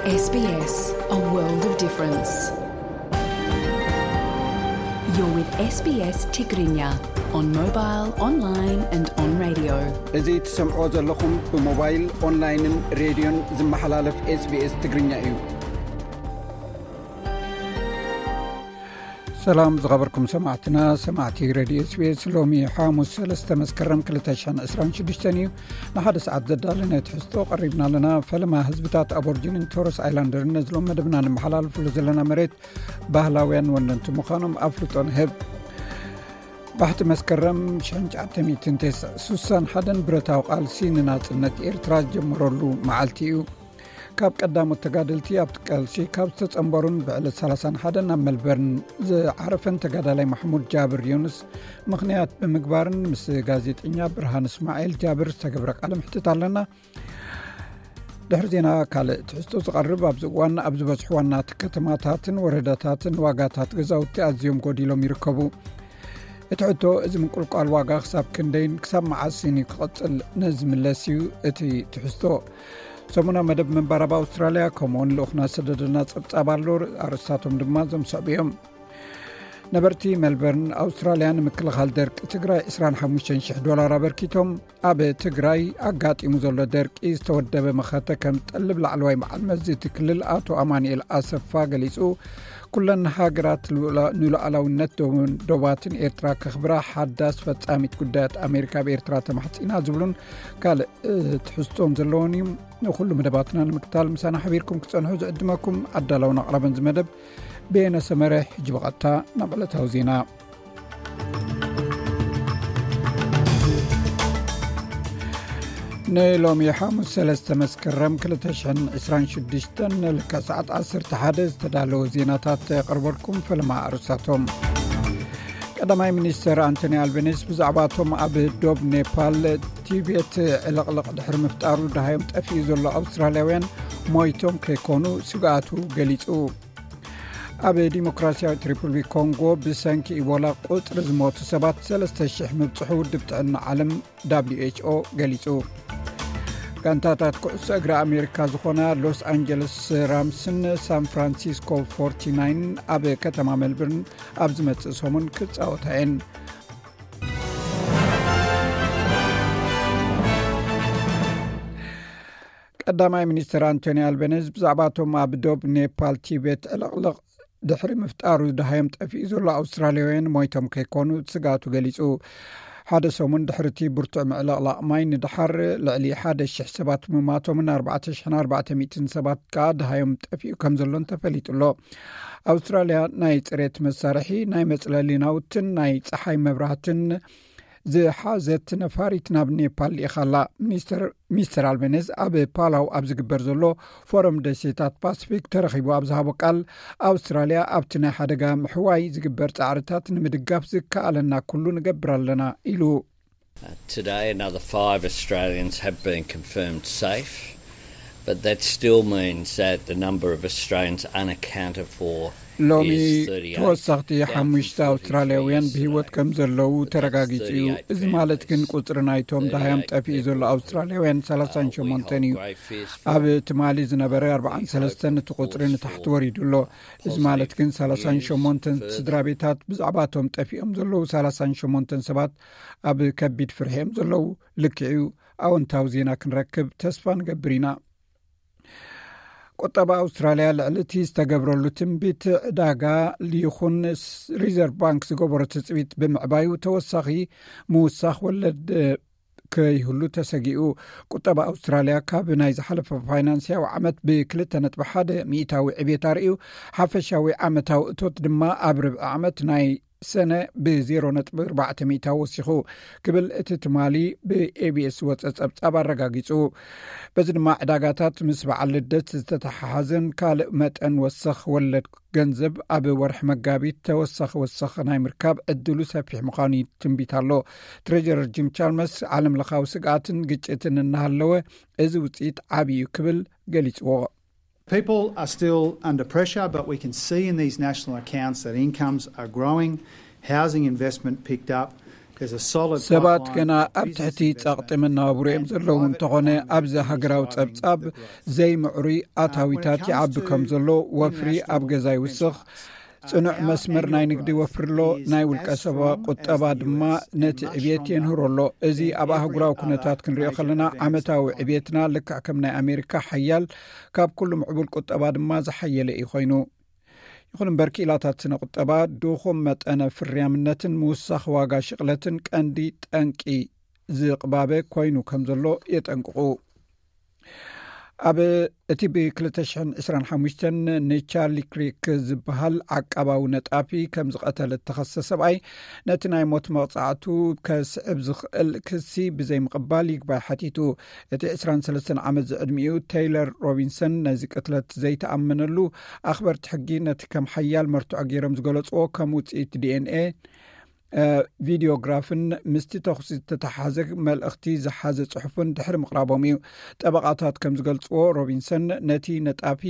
S B S, a world of difference. You're with S B S Tigrinya on mobile, online and on radio. እዚ ትሰምዖ ዘለኹም ብሞባይል፣ ኦንላይንን ሬድዮን ዝመሓላለፍ SBS ትግርኛ እዩ። ሰላም ዝኸበርኩም ሰማዕትና፣ ሰማዕቲ ሬድዮ SBS። ሎሚ ሓሙስ ሰለስተ መስከረም ክልተ ሽሕን ዕስራን ሽዱሽተን እዩ። ንሓደ ሰዓት ዘዳለነ ትሕዝቶ ቀሪብና ኣለና። ፈለማ ህዝብታት ኣቦርጅንን ቶረስ ኣይላንደርን ነዝሎም መደብና ንመሓላልፍሉ ዘለና መሬት ባህላውያን ወነንቲ ምዃኖም ኣፍልጦ ንህብ። ባሕቲ መስከረም ሽሕን ትሽዓተ ሚእትን ስሳን ሓደን ብረታዊ ቃልሲ ንናጽነት ኤርትራ ዝጀመረሉ መዓልቲ እዩ። ካብ ቀዳሞት ተጋደልቲ ኣብቲ ቃልሲ ካብ ዝተጸንበሩን ብዕለት ሰላሳን ሓደን ናብ መልበርን ዝዓረፈን ተጋዳላይ ማሕሙድ ጃብር ዮኑስ ምኽንያት ብምግባርን ምስ ጋዜጠኛ ብርሃን እስማኤል ጃብር ዝተገብረ ቃለ ምሕትት ኣለና። ድሕሪ ዜና ካልእ ትሕዝቶ ዝቐርብ። ኣብዚ እዋን ኣብ ዝበዝሑ ዋናት ከተማታትን ወረዳታትን ዋጋታት ገዛውቲ ኣዝዮም ጎዲሎም ይርከቡ። እቲ ሕቶ፣ እዚ ምንቁልቋል ዋጋ ክሳብ ክንደይን ክሳብ መዓስን እዩ ክቕጽል? ነዚ ምለስ እዩ እቲ ትሕዝቶ። ሰሙናዊ መደብ ምንባር ኣብ ኣውስትራልያ፣ ከምኡውን ልኡኽና ዝሰደደልና ጸብጻብ ኣሎ። ኣርእስታቶም ድማ እዞም ዝስዕቡ እዮም። ነበርቲ ሜልበርን ኣውስትራልያ ንምክልኻል ደርቂ ትግራይ ዕስራን ሓሙሽተን ሽሕ ዶላር ኣበርኪቶም። ኣብ ትግራይ ኣጋጢሙ ዘሎ ደርቂ ዝተወደበ መኸተ ከም ጠልብ ላዕለዋይ በዓል መዚ እቲ ክልል ኣቶ ኣማኑኤል ኣሰፋ ገሊጹ። ኩለን ሃገራት ንሉዓላውነት ዶባትን ኤርትራ ከኽብራ ሓዳስ ፈጻሚት ጉዳያት ኣሜሪካ ኣብ ኤርትራ ተማሕጺና ዝብሉን ካልእ ትሕዝቶን ዘለዎን እዩ። ንኹሉ መደባትና ንምክታል ምሳና ሓቢርኩም ክጸንሑ ዝዕድመኩም ኣዳላውን ኣቕራብን ዝመደብ በየነ ሰመረ። ሕጂ ብቐጥታ ናብ ዕለታዊ ዜና። ንሎሚ ሓሙስ ሰለስተ መስከረም ክልተ ሽሕን ዕስራን ሽዱሽተን ንልክዕ ሰዓት ዓሰርተ ሓደ ዝተዳለወ ዜናታት የቕርበልኩም። ፈለማ ኣርእስታቶም። ቀዳማይ ሚኒስተር ኣንቶኒ ኣልበኒስ ብዛዕባ እቶም ኣብ ዶብ ኔፓል ቲቤት ዕልቕልቕ ድሕሪ ምፍጣሩ ደሃዮም ጠፊኡ ዘሎ ኣውስትራልያውያን ሞይቶም ከይኮኑ ስግኣቱ ገሊጹ። ኣብ ዲሞክራሲያዊት ሪፑብሊክ ኮንጎ ብሰንኪ ኢቦላ ቁጽሪ ዝሞቱ ሰባት ሰለስተ ሽሕ ምብጽሑ ውድብ ጥዕና ዓለም ደብሊው ኤች ኦ ገሊጹ። ጋንታታት ኩዕሶ እግሪ ኣሜሪካ ዝኾና ሎስ ኣንጀለስ ራምስን ሳን ፍራንሲስኮ ፎርቲ ናይን ኣብ ከተማ ሜልበርን ኣብ ዝመጽእ ሰሙን ክጻወታ እየን። ቀዳማይ ሚኒስትር ኣንቶኒ ኣልበነዝ ብዛዕባ እቶም ኣብ ዶብ ኔፓል ቲቤት ዕልቕልቕ ድሕሪ ምፍጣሩ ደሃዮም ጠፊኡ ዘሎ ኣውስትራልያውያን ሞይቶም ከይኮኑ ስግኣቱ ገሊጹ። ሓደ ሰሙን ድሕሪ እቲ ብርቱዕ ምዕልቕላቕ ማይ ንደሓር ልዕሊ ሓደ ሽሕ ሰባት ምማቶምን ኣርባዕተ ሽሕን ኣርባዕተ ሚእትን ሰባት ከኣ ደሃዮም ጠፊኡ ከም ዘሎን ተፈሊጡ ኣሎ። ኣውስትራልያ ናይ ጽሬት መሳርሒ፣ ናይ መጽለሊ ናውትን ናይ ጸሓይ መብራህትን ዝሓዘት ነፋሪት ናብ ኔፓል ልኢኻ ኣላ። ሚኒስተር፣ ሚስተር ኣልቤኔዝ ኣብ ፓላው ኣብ ዝግበር ዘሎ ፎረም ደሴታት ፓሲፊክ ተረኺቡ ኣብ ዝሃቦ ቃል፣ ኣውስትራልያ ኣብቲ ናይ ሓደጋ ምሕዋይ ዝግበር ጻዕርታት ንምድጋፍ ዝከኣለና ኩሉ ንገብር ኣለና ኢሉ። Uh, today, another five Australians have been confirmed safe, but that still means that the number of Australians unaccounted for ሎሚ is thirty-eight, ተወሰኽቲ down from ሓሙሽተ ኣውስትራልያውያን forty-three ብህይወት today. ከም ዘለዉ But that's ተረጋጊጹ እዩ። thirty-eight እዚ ማለት ግን families, ቁጽሪ ናይቶም ደሃዮም thirty-eight ጠፊኡ ዘሎ people. ኣውስትራልያውያን Uh, we ሰላሳን ሸሞንተን hold እዩ። grave fears for ኣብ ትማሊ ዝነበረ them. We ኣርባዓን ሰለስተን hope እቲ ቁጽሪ for ንታሕቲ ወሪዱ ኣሎ። እዚ ማለት ግን ሰላሳን ሸሞንተን ስድራ ቤታት ብዛዕባቶም ጠፊኦም ዘለዉ ሰላሳን ሸሞንተን ሰባት ኣብ ከቢድ ፍርሒ እዮም ዘለዉ። ልክዕ እዩ፣ ኣወንታዊ ዜና ክንረክብ ተስፋ ንገብር ኢና። ቁጠባ ኣውስትራልያ ልዕሊ እቲ ዝተገብረሉ ትንቢት ዕዳጋ ይኹን ሪዘርቭ ባንክ ዝገበሮ ትጽቢት ብምዕባዩ ተወሳኺ ምውሳኽ ወለድ ከይህሉ ተሰጊኡ። ቁጠባ ኣውስትራልያ ካብ ናይ ዝሓለፈ ፋይናንስያዊ ዓመት ብክልተ ነጥቢ ሓደ ሚእታዊ ዕቤት ኣርእዩ። ሓፈሻዊ ዓመታዊ እቶት ድማ ኣብ ርብዒ ዓመት ናይ ሰነ ብዜሮ ነጥቢ ኣርባዕተ ሚእታዊ ወሲኹ ክብል እቲ ትማሊ ብኤቢኤስ ዝወጸ ጸብጻብ ኣረጋጊጹ። በዚ ድማ ዕዳጋታት ምስ በዓል ልደት ዝተተሓሓዘን ካልእ መጠን ወሰኽ ወለድ ገንዘብ ኣብ ወርሒ መጋቢት ተወሳኺ ወሰኽ ናይ ምርካብ ዕድሉ ሰፊሕ ምዃኑ ትንቢት ኣሎ። ትሬጀረር ጂም ቻልመርስ ዓለም ለኻዊ ስግኣትን ግጭትን እናሃለወ እዚ ውፅኢት ዓብዪ እዩ ክብል ገሊፅዎ። People are still under pressure, but we can see in these national accounts that incomes are growing, housing investment picked up, ሰባት ገና ኣብ ትሕቲ ጸቕጢ መነባብሮ እዮም ዘለዉ። እንተኾነ ኣብዚ ሃገራዊ ጸብጻብ ዘይምዕሩይ ኣታዊታት ይዓቢ ከም ዘሎ፣ ወፍሪ ኣብ ገዛ ይውስኽ፣ ጽኑዕ መስመር ናይ ንግዲ ይወፍር ኣሎ፣ ናይ ውልቀ ሰብ ቁጠባ ድማ ነቲ ዕብየት የንህሮ ኣሎ። እዚ ኣብ ኣህጉራዊ ኩነታት ክንሪኦ ከለና ዓመታዊ ዕብየትና ልክዕ ከም ናይ ኣሜሪካ ሓያል፣ ካብ ኩሉ ምዕቡል ቁጠባ ድማ ዝሓየለ እዩ ኮይኑ። ይኹን እምበር ክኢላታት ስነ ቁጠባ ድኹም መጠነ ፍርያምነትን ምውሳኽ ዋጋ ሽቕለትን ቀንዲ ጠንቂ ዝቕባበ ኮይኑ ከም ዘሎ የጠንቅቑ። ኣብ እቲ ብ ክልተ ሽሕን ዕስራን ሓሙሽተን ንቻርሊ ክሪክ ዝበሃል ዓቃባዊ ነጣፊ ከም ዝቐተለ እተኸሰ ሰብኣይ፣ ነቲ ናይ ሞት መቕጻዕቱ ከስዕብ ዝኽእል ክሲ ብዘይምቕባል ይግባይ ሓቲቱ። እቲ ዕስራን ሰለስተን ዓመት ዝዕድሚኡ ቴይለር ሮቢንሰን ነዚ ቅትለት ዘይተኣመነሉ፣ ኣኽበርቲ ሕጊ ነቲ ከም ሓያል መርትዖ ገይሮም ዝገለጽዎ ከም ውጽኢት ዲ ኤን ኤ፣ ቪዲዮግራፍን ምስቲ ተኹሲ ዝተተሓሓዘ መልእኽቲ ዝሓዘ ጽሑፍን ድሕሪ ምቕራቦም እዩ። ጠበቓታት ከም ዝገልጽዎ፣ ሮቢንሰን ነቲ ነጣፊ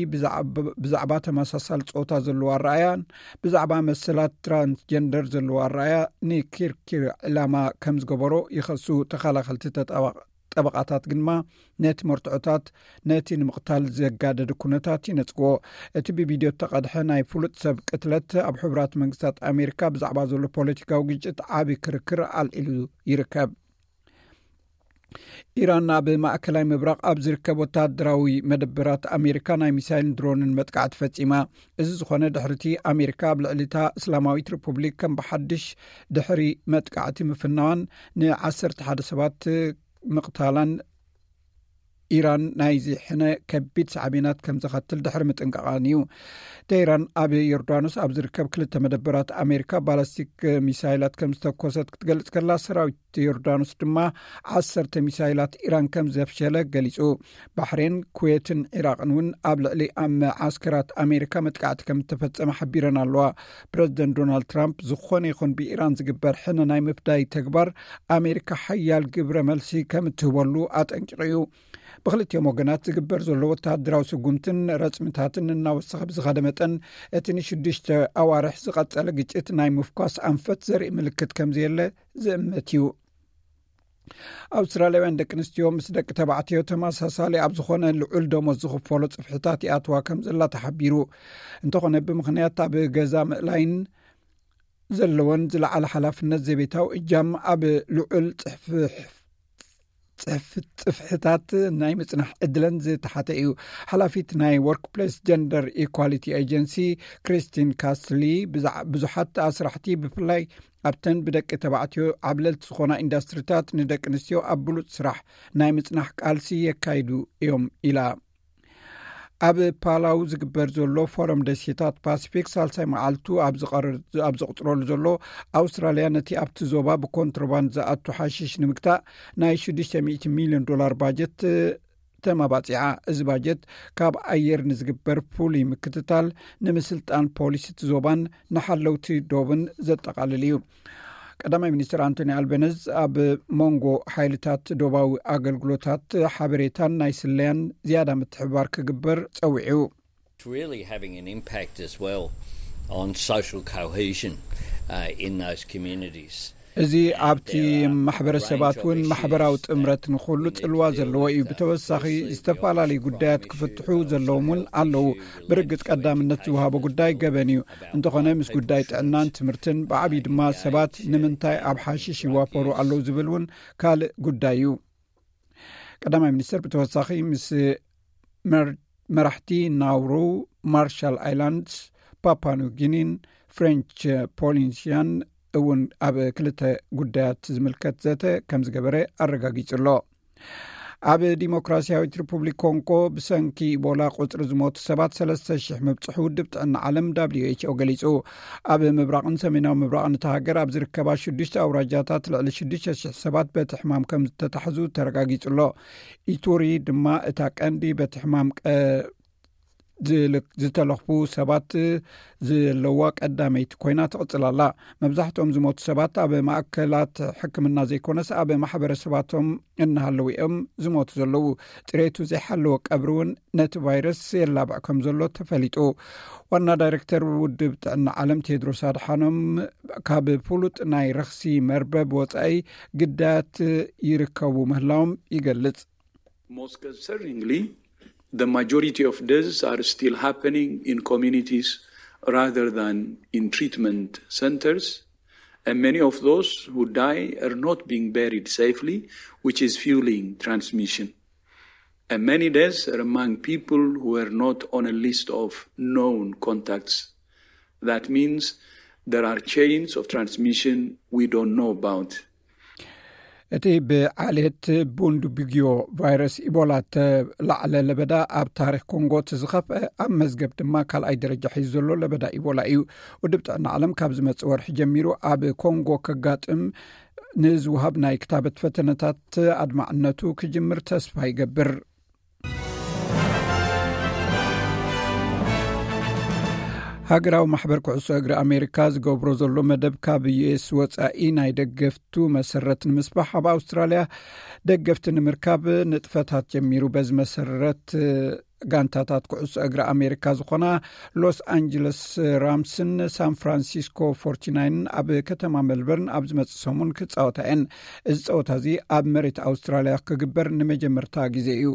ብዛዕባ ተመሳሳሊ ጾታ ዘለዎ ኣረኣያን ብዛዕባ መሰላት ትራንስጀንደር ዘለዎ ኣረኣያ ንኪርኪር ዕላማ ከም ዝገበሮ ይኸሱ። ተኸላኸልቲ ጠበቓታት ግንማ ነቲ መርትዖታት ነቲ ንምቕታል ዘጋደደ ኩነታት ይነጽግዎ። እቲ ብቪድዮ እተቐድሐ ናይ ፍሉጥ ሰብ ቅትለት ኣብ ሕቡራት መንግስታት ኣሜሪካ ብዛዕባ ዘሎ ፖለቲካዊ ግጭት ዓቢ ክርክር ኣልዒሉ ይርከብ። ኢራን ኣብ ማእከላይ ምብራቕ ኣብ ዝርከብ ወተሃደራዊ መደበራት ኣሜሪካ ናይ ሚሳይልን ድሮንን መጥቃዕቲ ፈጺማ። እዚ ዝኾነ ድሕሪቲ ኣሜሪካ ኣብ ልዕሊ እታ እስላማዊት ሪፑብሊክ ከም ብሓድሽ ድሕሪ መጥቃዕቲ ምፍናዋን ንዓሰርተ ሓደ ሰባት ምቕታላን ኢራን ናይዚ ሕነ ከቢድ ሳዕቤናት ከም ዘኸትል ድሕሪ ምጥንቃቓን እዩ። ተይራን ኣብ ዮርዳኖስ ኣብ ዝርከብ ክልተ መደበራት ኣሜሪካ ባላስቲክ ሚሳይላት ከም ዝተኮሰት ክትገልጽ ከላ፣ ሰራዊት ዮርዳኖስ ድማ ዓሰርተ ሚሳይላት ኢራን ከም ዘፍሸለ ገሊጹ። ባሕሬን፣ ኩዌትን ዒራቕን እውን ኣብ ልዕሊ ኣብ መዓስከራት ኣሜሪካ መጥቃዕቲ ከም እተፈጸመ ሓቢረን ኣለዋ። ፕረዚደንት ዶናልድ ትራምፕ ዝኾነ ይኹን ብኢራን ዝግበር ሕነ ናይ ምፍዳይ ተግባር ኣሜሪካ ሓያል ግብረ መልሲ ከም እትህበሉ ኣጠንቂቑ እዩ። ብክልቲኦም ወገናት ዝግበር ዘሎ ወተሃደራዊ ስጉምትን ረጽምታትን እናወሰኸ ብዝኸደ መጠን፣ እቲ ንሽዱሽተ ኣዋርሕ ዝቐጸለ ግጭት ናይ ምፍኳስ ኣንፈት ዘርኢ ምልክት ከም ዘየለ ዝእምት እዩ። ኣውስትራልያውያን ደቂ ኣንስትዮ ምስ ደቂ ተባዕትዮ ተመሳሳሊ ኣብ ዝኾነ ልዑል ደሞዝ ዝኽፈሎ ጽፍሕታት ይኣትዋ ከም ዘላ ተሓቢሩ። እንተኾነ ብምኽንያት ኣብ ገዛ ምእላይን ዘለወን ዝለዓለ ሓላፍነት ዘቤታዊ እጃም ኣብ ልዑል ጽፍሕ-፣ ጽፍ-፣ ጽፍሕታት ናይ ምጽናሕ ዕድለን ዝተሓተ እዩ። ሓላፊት ናይ ወርክፕሌስ ጀንደር ኢኳሊቲ ኤጀንሲ ክሪስቲን ካስሊ ብዛዕ-፣ ብዙሓት ኣስራሕቲ ብፍላይ ኣብተን ብደቂ ተባዕትዮ ዓብለልቲ ዝኾና ኢንዳስትሪታት ንደቂ ኣንስትዮ ኣብ ብሉጽ ስራሕ ናይ ምጽናሕ ቃልሲ የካይዱ እዮም ኢላ። ኣብ ፓላው ዝግበር ዘሎ ፎረም ደሴታት ፓሲፊክ ሳልሳይ መዓልቱ ኣብ ዝቐር-፣ ኣብ ዝቕጽረሉ ዘሎ፣ ኣውስትራልያ ነቲ ኣብቲ ዞባ ብኮንትሮባንድ ዝኣቱ ሓሽሽ ንምግታእ ናይ ሽዱሽተ ሚእቲ ሚልዮን ዶላር ባጀት ተመባጺዓ። እዚ ባጀት ካብ ኣየር ንዝግበር ፍሉይ ምክትታል፣ ንምስልጣን ፖሊሲ እቲ ዞባን ንሓለውቲ ዶብን ዘጠቓልል እዩ። ቀዳማይ ሚኒስትር ኣንቶኒ ኣልበነዝ ኣብ መንጎ ሓይልታት ዶባዊ ኣገልግሎታት ሓበሬታን ናይ ስለያን ዝያዳ ምትሕብባር ክግበር ጸዊዑ። It's really having an impact as well on social cohesion uh, in those communities. እዚ ኣብቲ ማሕበረሰባት እውን ማሕበራዊ ጥምረት ንኹሉ ጽልዋ ዘለዎ እዩ። ብተወሳኺ ዝተፈላለዩ ጉዳያት ክፍትሑ ዘለዎም እውን ኣለዉ። ብርግጽ ቀዳምነት ዝወሃቦ ጉዳይ ገበን እዩ። እንተኾነ ምስ ጉዳይ ጥዕናን ትምህርትን ብዓብዪ ድማ ሰባት ንምንታይ ኣብ ሓሽሽ ይዋፈሩ ኣለዉ ዝብል እውን ካልእ ጉዳይ እዩ። ቀዳማይ ሚኒስትር ብተወሳኺ ምስ መር-፣ መራሕቲ ናውሩ፣ ማርሻል ኣይላንድስ፣ ፓፓ ኒው ጊኒን ፍሬንች ፖሊኒሽያን እውን ኣብ ክልተ ጉዳያት ዝምልከት ዘተ ከም ዝገበረ ኣረጋጊጹ ኣሎ። ኣብ ዲሞክራሲያዊት ሪፑብሊክ ኮንጎ ብሰንኪ ኢቦላ ቁጽሪ ዝሞቱ ሰባት ሰለስተ ሽሕ ምብጽሑ ውድብ ጥዕና ዓለም ደብሊው ኤች ኦ ገሊጹ። ኣብ ምብራቕን ሰሜናዊ ምብራቕን እታ ሃገር ኣብ ዝርከባ ሽዱሽተ ኣውራጃታት ልዕሊ ሽዱሽተ ሽሕ ሰባት በቲ ሕማም ከም ዝተታሕዙ ተረጋጊጹ ኣሎ። ኢቱሪ ድማ እታ ቀንዲ በቲ ሕማም ቀ-፣ ዝልክ-፣ ዝተለኽፉ ሰባት ዘለዋ ቀዳመይቲ ኮይና ትቕጽል ኣላ። መብዛሕትኦም ዝሞቱ ሰባት ኣብ ማእከላት ሕክምና ዘይኮነስ ኣብ ማሕበረሰባቶም እናሃለዉ እዮም ዝሞቱ ዘለዉ። ጽሬቱ ዘይሓለወ ቀብሪ እውን ነቲ ቫይረስ የላብዕ ከም ዘሎ ተፈሊጡ። ዋና ዳይሬክተር ውድብ ጥዕና ዓለም ቴድሮስ ኣድሓኖም ካብ ፍሉጥ ናይ ረኽሲ መርበብ ወጻኢ ግዳያት ይርከቡ ምህላዎም ይገልጽ። Most concerningly, the majority of deaths are still happening in communities rather than in treatment centers, and many of those who die are not being buried safely, which is fueling transmission. And many deaths are among people who were not on a list of known contacts. That means there are chains of transmission we don't know about. እቲ ብዓሌት ቡንዱቢግዮ ቫይረስ ኢቦላ ተላዕለ ለበዳ ኣብ ታሪኽ ኮንጎ እቲ ዝኸፍአ፣ ኣብ መዝገብ ድማ ካልኣይ ደረጃ ሒዙ ዘሎ ለበዳ ኢቦላ እዩ። ውድብ ጥዕና ዓለም ካብ ዝመጽእ ወርሒ ጀሚሩ ኣብ ኮንጎ ከጋጥም ንዝወሃብ ናይ ክታበት ፈተነታት ኣድማዕነቱ ክጅምር ተስፋ ይገብር። ሃገራዊ ማሕበር ኩዕሶ እግሪ ኣሜሪካ ዝገብሮ ዘሎ መደብ ካብ ዩኤስ ወጻኢ ናይ ደገፍቱ መሰረት ንምስፋሕ ኣብ ኣውስትራልያ ደገፍቲ ንምርካብ ንጥፈታት ጀሚሩ። በዚ መሰረት ጋንታታት ኩዕሶ እግሪ ኣሜሪካ ዝኾና ሎስ ኣንጀለስ ራምስን ሳን ፍራንሲስኮ ፎርቲናይንን ኣብ ከተማ ሜልበርን ኣብ ዝመጽእ ሰሙን ክጻወታ እየን። እዚ ጸወታ እዚ ኣብ መሬት ኣውስትራልያ ክግበር ንመጀመርታ ግዜ እዩ።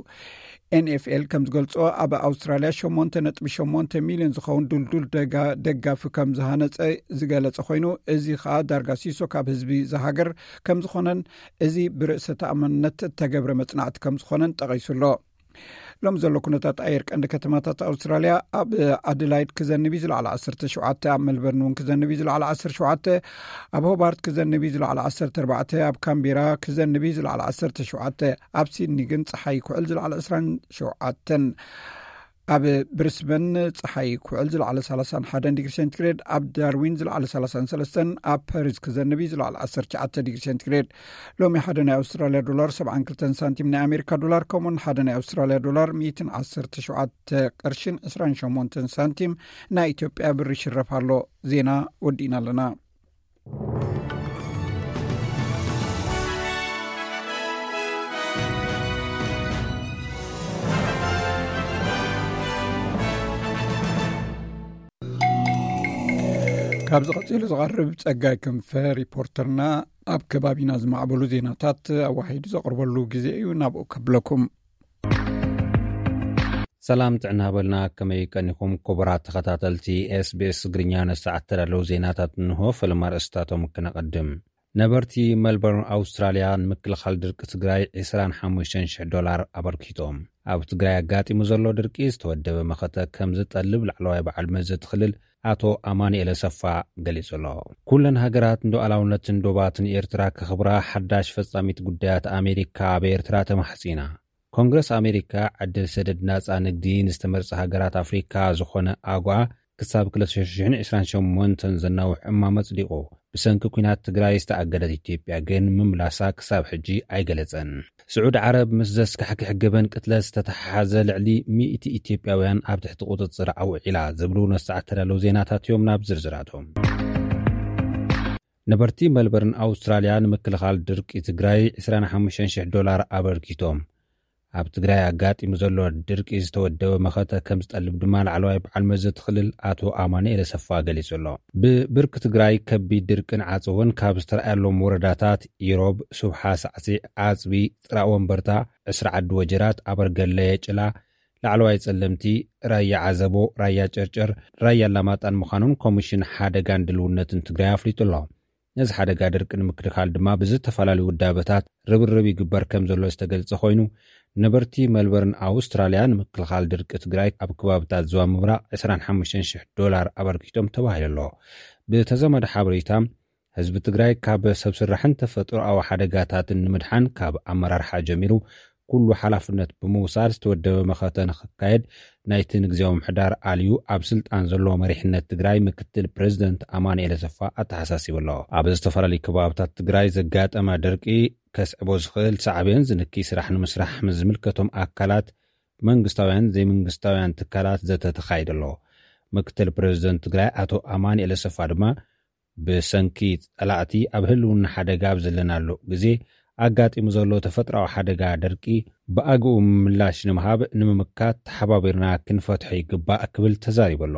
ኤንኤፍኤል ከም ዝገልጾ ኣብ ኣውስትራልያ ሸሞንተ ነጥቢ ሸሞንተ ሚልዮን ዝኸውን ድልዱል ደጋ-፣ ደጋፊ ከም ዝሃነጸ ዝገለጸ ኮይኑ፣ እዚ ኸኣ ዳርጋ ሲሶ ካብ ህዝቢ ዝሃገር ከም ዝኾነን እዚ ብርእሰ ተኣማንነት እተገብረ መጽናዕቲ ከም ዝኾነን ጠቒሱ ኣሎ። ሎም ዘሎ ኩነታት ኣየር ቀንዲ ከተማታት ኣውስትራልያ ኣብ ኣደላይድ ክዘንብ እዩ ዝለዓለ ዓሰርተ ሸውዓተ፣ ኣብ ሜልበርን እውን ክዘንብ እዩ ዝለዓለ ዓሰርተ ሸውዓተ፣ ኣብ ሆባርት ክዘንብ እዩ ዝለዓለ ዓሰርተ ኣርባዕተ፣ ኣብ ካምቤራ ክዘንብ እዩ ዝለዓለ ዓሰርተ ሸውዓተ፣ ኣብ ሲድኒ ግን ጸሓይ ክውዕል ዝለዓለ ዕስራን ሸውዓተን፣ ኣብ ብሪስበን ጸሓይ ክውዕል ዝለዓለ ሰላሳን ሓደን ዲግሪ ሴንቲግሬድ፣ ኣብ ዳርዊን ዝለዓለ ሰላሳን ሰለስተን፣ ኣብ ፓሪስ ክዘንብ እዩ ዝለዓለ ዓሰርተ ትሽዓተ ዲግሪ ሴንቲግሬድ። ሎሚ ሓደ ናይ ኣውስትራልያ ዶላር ሰብዓን ክልተን ሳንቲም ናይ ኣሜሪካ ዶላር፣ ከምኡውን ሓደ ናይ ኣውስትራልያ ዶላር ሚእትን ዓሰርተ ሸውዓተ ቅርሽን ዕስራን ሸሞንተን ሳንቲም ናይ ኢትዮጵያ ብር ይሽረፍ ኣሎ። ዜና ወዲእና ኣለና። ካብዚ ቀጺሉ ዝቐርብ ጸጋይ ክንፈ ሪፖርተርና ኣብ ከባቢና ዝማዕበሉ ዜናታት ኣዋሂዱ ዘቕርበሉ ግዜ እዩ። ናብኡ ከብለኩም። ሰላም ጥዕና በልና፣ ከመይ ቀኒኹም ክቡራት ተኸታተልቲ ኤስቢኤስ ትግርኛ? ነሰዓት ተዳለዉ ዜናታት እንሆ። ፈለማ ኣርእስታቶም ክነቐድም። ነበርቲ መልበርን ኣውስትራልያ ንምክልኻል ድርቂ ትግራይ ዕስራን ሓሙሽተን ሽሕ ዶላር ኣበርኪቶም። ኣብ ትግራይ ኣጋጢሙ ዘሎ ድርቂ ዝተወደበ መኸተ ከም ዝጠልብ ላዕለዋይ በዓል መዚ እቲ ክልል ኣቶ ኣማኑኤል ኣሰፋ ገሊጹ ኣሎ። ኩለን ሃገራት ንሉዓላውነትን ዶባትን ኤርትራ ከኽብራ ሓዳሽ ፈጻሚት ጉዳያት ኣሜሪካ ኣብ ኤርትራ ተማሕጺና። ኮንግረስ ኣሜሪካ ዕድል ሰደድ ናጻ ንግዲ ንዝተመርጻ ሃገራት ኣፍሪካ ዝኾነ ኣጓ ክሳብ ክልተ ሽሕን ዕስራን ሸሞንተን ዘናውሕ እማም ኣጽዲቑ። ብሰንኪ ኲናት ትግራይ ዝተኣገደት ኢትዮጵያ ግን ምምላሳ ክሳብ ሕጂ ኣይገለጸን። ስዑድ ዓረብ ምስ ዘስካሕክሕ ገበን ቅትለት ዝተተሓሓዘ ልዕሊ ሚእቲ ኢትዮጵያውያን ኣብ ትሕቲ ቁጽጽር ኣውዒላ ዝብሉ ነሰዓት ተዳለዉ ዜናታት እዮም። ናብ ዝርዝራቶም። ነበርቲ መልበርን ኣውስትራልያ ንምክልኻል ድርቂ ትግራይ ዕስራን ሓሙሽተን ሽሕ ዶላር ኣበርኪቶም። ኣብ ትግራይ ኣጋጢሙ ዘሎ ድርቂ ዝተወደበ መኸተ ከም ዝጠልብ ድማ ላዕለዋይ በዓል መዚ እቲ ክልል ኣቶ ኣማኑኤል ኣሰፋ ገሊጹ ኣሎ። ብብርኪ ትግራይ ከቢድ ድርቅን ዓጸቦን ካብ ዝተረኣየሎም ወረዳታት ኢሮብ፣ ሱብሓ፣ ሳዕሲዕ፣ ዓጽቢ፣ ጽራእ ወንበርታ፣ ዕስራ ዓዲ ወጀራት፣ ኣበርገለ፣ የጭላ፣ ላዕለዋይ ጸለምቲ፣ ራያ ዓዘቦ፣ ራያ ጨርጨር፣ ራያ ኣላማጣን ምዃኖም ኮሚሽን ሓደጋን ድልውነትን ትግራይ ኣፍሊጡ ኣሎ። ነዚ ሓደጋ ድርቂ ንምክልኻል ድማ ብዝተፈላለዩ ውዳበታት ርብርብ ይግበር ከም ዘሎ ዝተገልጸ ኮይኑ፣ ነበርቲ መልበርን ኣውስትራልያ ንምክልኻል ድርቂ ትግራይ ኣብ ከባብታት ዞባ ምብራቕ ዕስራን ሓሙሽተን ሽሕ ዶላር ኣበርኪቶም ተባሂሉ ኣሎ። ብተዛማዲ ሓበሬታ፣ ህዝቢ ትግራይ ካብ ሰብ ስራሕን ተፈጥሮኣዊ ሓደጋታትን ንምድሓን ካብ ኣመራርሓ ጀሚሩ ኩሉ ሓላፍነት ብምውሳድ ዝተወደበ መኸተ ንክካየድ ናይቲ ንግዜያዊ ምሕዳር ኣልዩ ኣብ ስልጣን ዘሎ መሪሕነት ትግራይ ምክትል ፕሬዚደንት ኣማኑኤል ኣሰፋ ኣተሓሳሲቡ ኣሎ። ኣብ ዝተፈላለዩ ከባብታት ትግራይ ዘጋጠመ ድርቂ ከስዕቦ ዝኽእል ሳዕቤን ዝንኪ ስራሕ ንምስራሕ ምስ ዝምልከቶም ኣካላት መንግስታውያን ዘይመንግስታውያን ትካላት ዘተ ተኻይዱ ኣሎ። ምክትል ፕሬዚደንት ትግራይ ኣቶ ኣማኑኤል ኣሰፋ ድማ ብሰንኪ ጸላእቲ ኣብ ህልውና ሓደጋ ኣብ ዘለናሉ ግዜ ኣጋጢሙ ዘሎ ተፈጥራዊ ሓደጋ ደርቂ ብኣግኡ ምላሽ ንምሃብ ንምምካት ተሓባቢርና ክንፈትሖ ይግባእ ክብል ተዛሪቡ ኣሎ።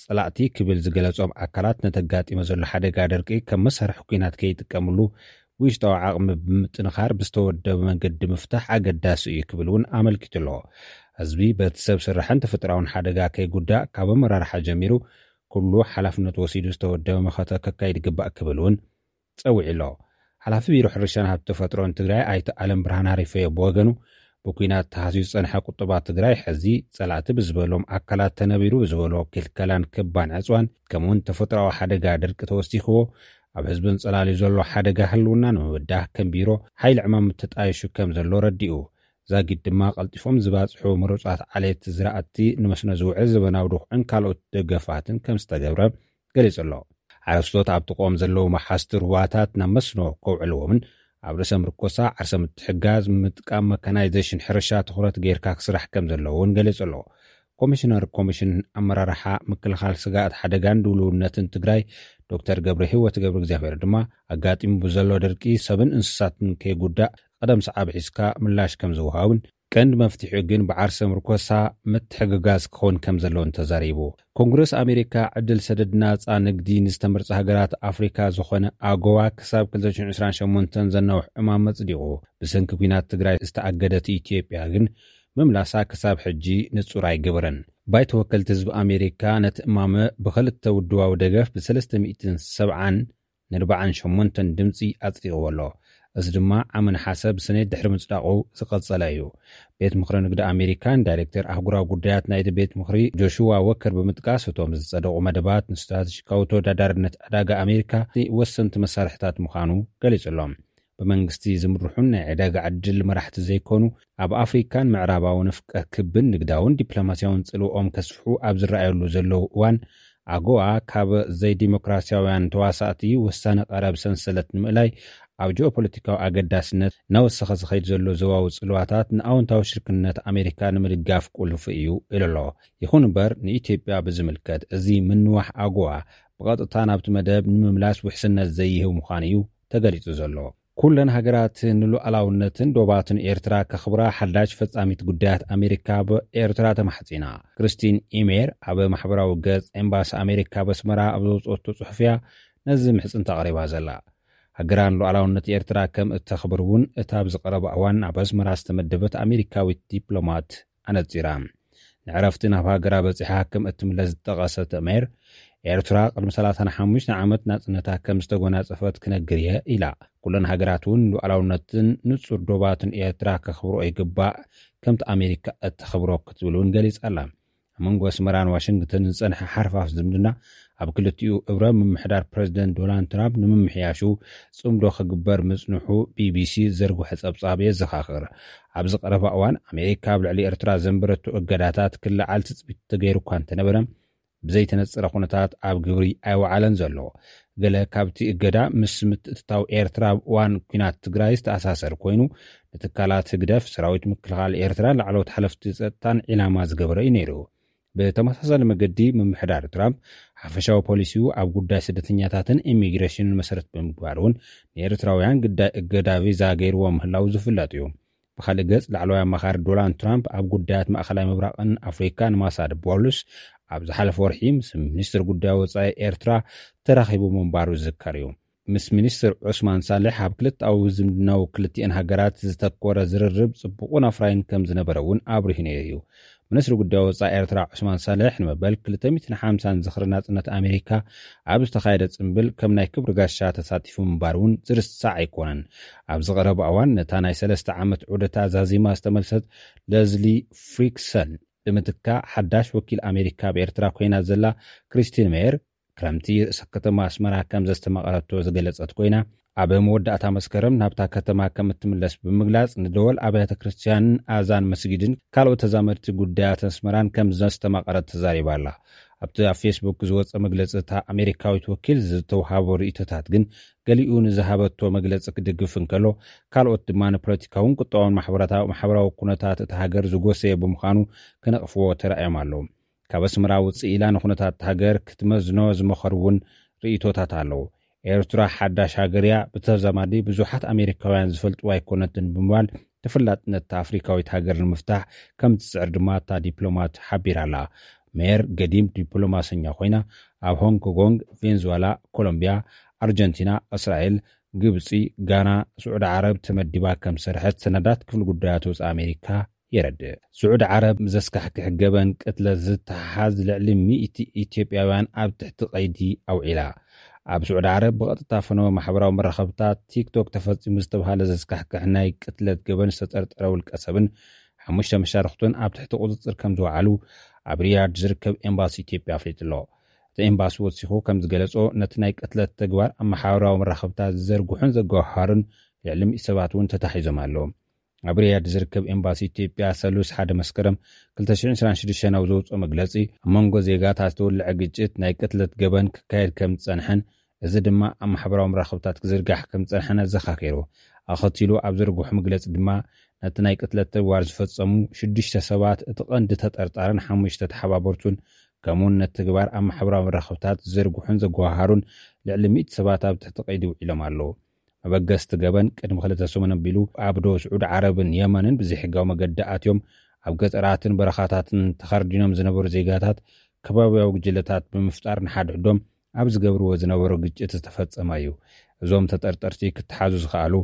ጸላእቲ ክብል ዝገለጾም ኣካላት ነተጋጢመ ዘሎ ሓደጋ ደርቂ ከም መሳርሒ ኲናት ከይጥቀምሉ ውሽጣዊ ዓቕሚ ብምጥንኻር ብዝተወደበ መንገዲ ምፍታሕ ኣገዳሲ እዩ ክብል እውን ኣመልኪቱ ኣሎ። ህዝቢ በቲ ሰብ ስራሕን ተፈጥራውን ሓደጋ ከይጉዳእ ካብ ኣመራርሓ ጀሚሩ ኩሉ ሓላፍነት ወሲዱ ዝተወደበ መኸተ ከካይድ ይግባእ ክብል እውን ጸዊዑ ኣሎ። ሓላፊ ቢሮ ሕርሻን ሃብቲ ተፈጥሮን ትግራይ ኣይተ ኣለም ብርሃን ሃሪፈዮ ብወገኑ ብኲናት ተሃስዩ ዝጸንሐ ቁጠባ ትግራይ ሕዚ ጸላእቲ ብዝበሎም ኣካላት ተነቢሩ ብዝበሎ ክልከላን ክባን ዕፅዋን ከምኡውን ተፈጥሮዊ ሓደጋ ድርቂ ተወሲኽዎ ኣብ ህዝብን ጸላልዩ ዘሎ ሓደጋ ህልውና ንምብዳህ ከም ቢሮ ሓይሊ ዕማም ተጣይሹ ከም ዘሎ ረዲኡ። ዛጊድ ድማ ቀልጢፎም ዝባፅሑ ምሩፃት ዓሌት ዝራእቲ ንመስኖ ዝውዕል ዘበናዊ ድኹዕን ካልኦት ደገፋትን ከም ዝተገብረ ገሊጹ ኣሎ። ሓረስቶት ኣብቲ ቆም ዘለዉ መሓዝቲ ሩባታት ናብ መስኖ ከውዕልዎምን ኣብ ርእሰ ምርኮሳ ዓርሰ ምትሕጋዝ ምጥቃም መካናይዜሽን ሕርሻ ትኹረት ጌርካ ክስራሕ ከም ዘለዎ እውን ገሊጹ ኣሎ። ኮሚሽነር ኮሚሽን ኣመራርሓ ምክልኻል ስጋኣት ሓደጋን ድልውነትን ትግራይ ዶክተር ገብረ ህይወት ገብረ እግዚኣብሔር ድማ ኣጋጢሙ ብዘሎ ድርቂ ሰብን እንስሳትን ከይጉዳእ ቀደም ሰዓብ ሒዝካ ምላሽ ከም ዝወሃብን ቀንዲ መፍትሒኡ ግን ብዓርሰ ምርኮሳ ምትሕግጋዝ ክኸውን ከም ዘለዎን ተዛሪቡ። ኮንግረስ ኣሜሪካ ዕድል ሰደድ ናጻ ንግዲ ንዝተመርጻ ሃገራት ኣፍሪካ ዝኾነ ኣጎዋ ክሳብ ክልተ ሽሕን ዕስራን ሸሞንተን ዘናውሕ ዕማም መጽዲቑ። ብሰንኪ ኲናት ትግራይ ዝተኣገደት ኢትዮጵያ ግን ምምላሳ ክሳብ ሕጂ ንጹር ኣይገበረን። ባይቶ ወከልቲ ህዝቢ ኣሜሪካ ነቲ እማመ ብኽልተ ውድባዊ ደገፍ ብሰለስተ ሚእትን ሰብዓን ንርብዓን ሸሞንተን ድምጺ ኣጽዲቕዎ ኣሎ። እዚ ድማ ዓመ ነሓሰ ብሰኔት ድሕሪ ምጽዳቑ ዝቐጸለ እዩ። ቤት ምኽሪ ንግዲ ኣሜሪካን ዳይሬክተር ኣህጉራዊ ጉዳያት ናይቲ ቤት ምኽሪ ጆሽዋ ወከር ብምጥቃስ እቶም ዝጸደቑ መደባት ንስትራተጂካዊ ተወዳዳርነት ዕዳጋ ኣሜሪካ ወሰንቲ መሳርሕታት ምዃኑ ገሊጹ ኣሎ። ብመንግስቲ ዝምርሑን ናይ ዕዳጋ ዕድል መራሕቲ ዘይኮኑ ኣብ ኣፍሪካን ምዕራባዊ ንፍቀ ክብን ንግዳውን ዲፕሎማሲያውን ጽልኦም ከስፍሑ ኣብ ዝረኣየሉ ዘለዉ እዋን ኣጎዋ ካብ ዘይዲሞክራሲያውያን ተዋሳእቲ ውሳነ ቀረብ ሰንሰለት ንምእላይ ኣብ ጂኦፖለቲካዊ ኣገዳስነት እናወሰኸ ዝኸይድ ዘሎ ዞባዊ ጽልዋታት ንኣወንታዊ ሽርክነት ኣሜሪካ ንምድጋፍ ቁልፊ እዩ ኢሉ ኣሎ። ይኹን እምበር ንኢትዮጵያ ብዝምልከት እዚ ምንዋሕ ኣጎዋ ብቐጥታ ናብቲ መደብ ንምምላስ ውሕስነት ዘይህብ ምዃኑ እዩ ተገሊጹ ዘሎ። ኩለን ሃገራት ንሉዓላውነትን ዶባትን ኤርትራ ከኽብራ ሓዳሽ ፈጻሚት ጉዳያት ኣሜሪካ ኣብ ኤርትራ ተማሕጺና። ክርስቲን ኢሜር ኣብ ማሕበራዊ ገጽ ኤምባሲ ኣሜሪካ ኣብ ኣስመራ ኣብ ዘውጽኦቶ ጽሑፍያ ነዚ ምሕጽንታ ኣቕሪባ ዘላ። ሃገራ ንሉዓላውነት ኤርትራ ከም እተኽብር እውን እታ ኣብ ዝቐረበ እዋን ኣብ ኣስመራ ዝተመደበት ኣሜሪካዊት ዲፕሎማት ኣነጺራ። ንዕረፍቲ ናብ ሃገራ በጺሓ ከም እትምለስ ዝጠቐሰት ሜር፣ ኤርትራ ቅድሚ ሰላሳን ሓሙሽተ ዓመት ናጽነታ ከም ዝተጎናጸፈት ክነግር እየ ኢላ። ኩለን ሃገራት እውን ሉዓላውነትን ንጹር ዶባትን ኤርትራ ከኽብሮ ይግባእ፣ ከምቲ ኣሜሪካ እተኽብሮ ክትብል እውን ገሊጻ ኣላ። ኣብ መንጎ ኣስመራን ዋሽንግተን ዝጸንሐ ሓርፋፍ ዝምድና ኣብ ክልቲኡ እብረ ምምሕዳር ፕረዚደንት ዶናልድ ትራምፕ ንምምሕያሹ ጽምዶ ክግበር ምጽንሑ ቢቢሲ ዘርግሖ ጸብጻብ የዘኻኽር። ኣብዚ ቀረባ እዋን ኣሜሪካ ኣብ ልዕሊ ኤርትራ ዘንበረቶ እገዳታት ክለዓል ትጽቢት ተገይሩ እኳ እንተነበረ ብዘይተነጸረ ኩነታት ኣብ ግብሪ ኣይወዓለን ዘሎ። ገለ ካብቲ እገዳ ምስ ምትእትታው ኤርትራ ኣብ እዋን ኲናት ትግራይ ዝተኣሳሰር ኮይኑ ንትካላት ህግደፍ ሰራዊት ምክልኻል ኤርትራን ላዕለዎት ሓለፍቲ ጸጥታን ዒላማ ዝገበረ እዩ ነይሩ። ብተመሳሳሊ መገዲ ምምሕዳር ትራምፕ ሓፈሻዊ ፖሊሲኡ ኣብ ጉዳይ ስደተኛታትን ኢሚግሬሽንን መሰረት ብምግባር እውን ንኤርትራውያን ግዳይ እገዳ ቪዛ ገይርዎ ምህላው ዝፍለጥ እዩ። ብኻልእ ገጽ ላዕለዋይ ኣማኻሪ ዶናልድ ትራምፕ ኣብ ጉዳያት ማእኸላይ ምብራቕን ኣፍሪካን ማሳድ ቦሉስ ኣብ ዝሓለፈ ወርሒ ምስ ሚኒስትር ጉዳይ ወፃኢ ኤርትራ ተራኺቡ ምንባሩ ዝዝከር እዩ። ምስ ሚኒስትር ዑስማን ሳልሕ ኣብ ክልተኣዊ ዝምድናው ክልቲኤን ሃገራት ዝተኮረ ዝርርብ ጽቡቕን ኣፍራይን ከም ዝነበረ እውን ኣብሪሁ ነይሩ እዩ። ሚኒስትሪ ጉዳይ ወፃኢ ኤርትራ ዑስማን ሳልሕ ንመበል ክልተ ሚእትን ሓምሳን ዝኽሪ ናጽነት ኣሜሪካ ኣብ ዝተኻየደ ጽምብል ከም ናይ ክብሪ ጋሻ ተሳቲፉ ምንባር እውን ዝርሳዕ ኣይኮነን። ኣብዚ ቀረባ እዋን ነታ ናይ ሰለስተ ዓመት ዑደታ ዛዚማ ዝተመልሰት ለዝሊ ፍሪክሰን ብምትካ ሓዳሽ ወኪል ኣሜሪካ ኣብ ኤርትራ ኮይና ዘላ ክሪስቲን ሜየር ክረምቲ ርእሰ ከተማ ኣስመራ ከም ዘስተማቐረቶ ዝገለጸት ኮይና ኣብ መወዳእታ መስከረም ናብታ ከተማ ከም እትምለስ ብምግላጽ፣ ንደወል ኣብያተ ክርስቲያንን ኣዛን መስጊድን ካልኦት ተዛመድቲ ጉዳያት ኣስመራን ከም ዘስተማቐረት ተዛሪባ ኣላ። ኣብቲ ኣብ ፌስቡክ ዝወጸ መግለጺ፣ እታ ኣሜሪካዊት ወኪል ዝተውሃቦ ርእይቶታት ግን፣ ገሊኡ ንዝሃበቶ መግለጺ ክድግፍ እንከሎ፣ ካልኦት ድማ ንፖለቲካውን ቁጠባውን ማሕበራታ-፣ ማሕበራዊ ኩነታት እታ ሃገር ዝጎሰየ ብምዃኑ ክነቕፍዎ ተራእዮም ኣለዉ። ካብ ኣስመራ ውጽእ ኢላ ንኩነታት እታ ሃገር ክትመዝኖ ዝመኸሩ እውን ርእይቶታት ኣለዉ። ኤርትራ ሓዳሽ ሃገር እያ፣ ብተዛማዲ ብዙሓት ኣሜሪካውያን ዝፈልጥዋ ኣይኮነትን ብምባል፣ ተፈላጥነት እታ ኣፍሪካዊት ሃገር ንምፍታሕ ከም ትጽዕር ድማ እታ ዲፕሎማት ሓቢራ ኣላ። ሜር ገዲም ዲፕሎማሰኛ ኮይና፣ ኣብ ሆንግ ኮንግ፣ ቬንዙዋላ፣ ኮሎምቢያ፣ ኣርጀንቲና፣ እስራኤል፣ ግብጺ፣ ጋና፣ ስዑዲ ዓረብ ተመዲባ ከም ዝሰርሐት ሰነዳት ክፍሊ ጉዳያት ወጻኢ ኣሜሪካ የረድእ። ስዑዲ ዓረብ ምስ ዘስካሕክሕ ገበን ቅትለት ዝተሓሓዝ ልዕሊ ሚእቲ ኢትዮጵያውያን ኣብ ትሕቲ ቀይዲ ኣውዒላ። ኣብ ስዑዲ ዓረብ ብቐጥታ ፈነወ ማሕበራዊ መራኸብታት ቲክቶክ ተፈጺሙ ዝተባህለ ዘስካሕክሕ ናይ ቅትለት ገበን ዝተጠርጠረ ውልቀ ሰብን ሓሙሽተ መሻርኽቱን ኣብ ትሕቲ ቁጽጽር ከም ዝወዓሉ ኣብ ሪያድ ዝርከብ ኤምባሲ ኢትዮጵያ ኣፍሊጡ ኣሎ። እቲ ኤምባሲ ወሲኹ ከም ዝገለጾ፣ ነቲ ናይ ቅትለት ተግባር ኣብ ማሕበራዊ መራኸብታት ዝዘርግሑን ዘጓሃሩን ልዕሊ ሚእቲ ሰባት እውን ተታሒዞም ኣለዉ። ኣብ ሪያድ ዝርከብ ኤምባሲ ኢትዮጵያ ሰሉስ ሓደ መስከረም ክልተ ሽሕን ዕስራን ሽዱሽተን ኣብ ዘውፅኦ መግለፂ፣ ኣብ መንጎ ዜጋታት ዝተወልዐ ግጭት ናይ ቅትለት ገበን ክካየድ ከም ዝፀንሐን፣ እዚ ድማ ኣብ ማሕበራዊ መራኸብታት ክዝርጋሕ ከም ዝፀንሐን ኣዘኻኺሩ። ኣኸቲሉ ኣብ ዘርግሖ መግለፂ ድማ፣ ነቲ ናይ ቅትለት ተግባር ዝፈፀሙ ሽዱሽተ ሰባት፣ እቲ ቀንዲ ተጠርጣርን ሓሙሽተ ተሓባበርቱን፣ ከምኡውን ነቲ ተግባር ኣብ ማሕበራዊ መራኸብታት ዝዘርግሑን ዘጓሃሃሩን ልዕሊ ሚእቲ ሰባት ኣብ ትሕቲ ቀይዲ ውዒሎም ኣለዉ። መበገስቲ ገበን ቅድሚ ክልተ ሰሙን ኣቢሉ ኣብ ዶ ስዑዲ ዓረብን የመንን ብዘይሕጋዊ መገዲ ኣትዮም ኣብ ገጠራትን በረኻታትን ተኸርዲኖም ዝነበሩ ዜጋታት ከባብያዊ ጉጅለታት ብምፍጣር ንሓድሕዶም ኣብ ዝገብርዎ ዝነበሩ ግጭት ዝተፈጸመ እዩ። እዞም ተጠርጠርቲ ክተሓዙ ዝኸኣሉ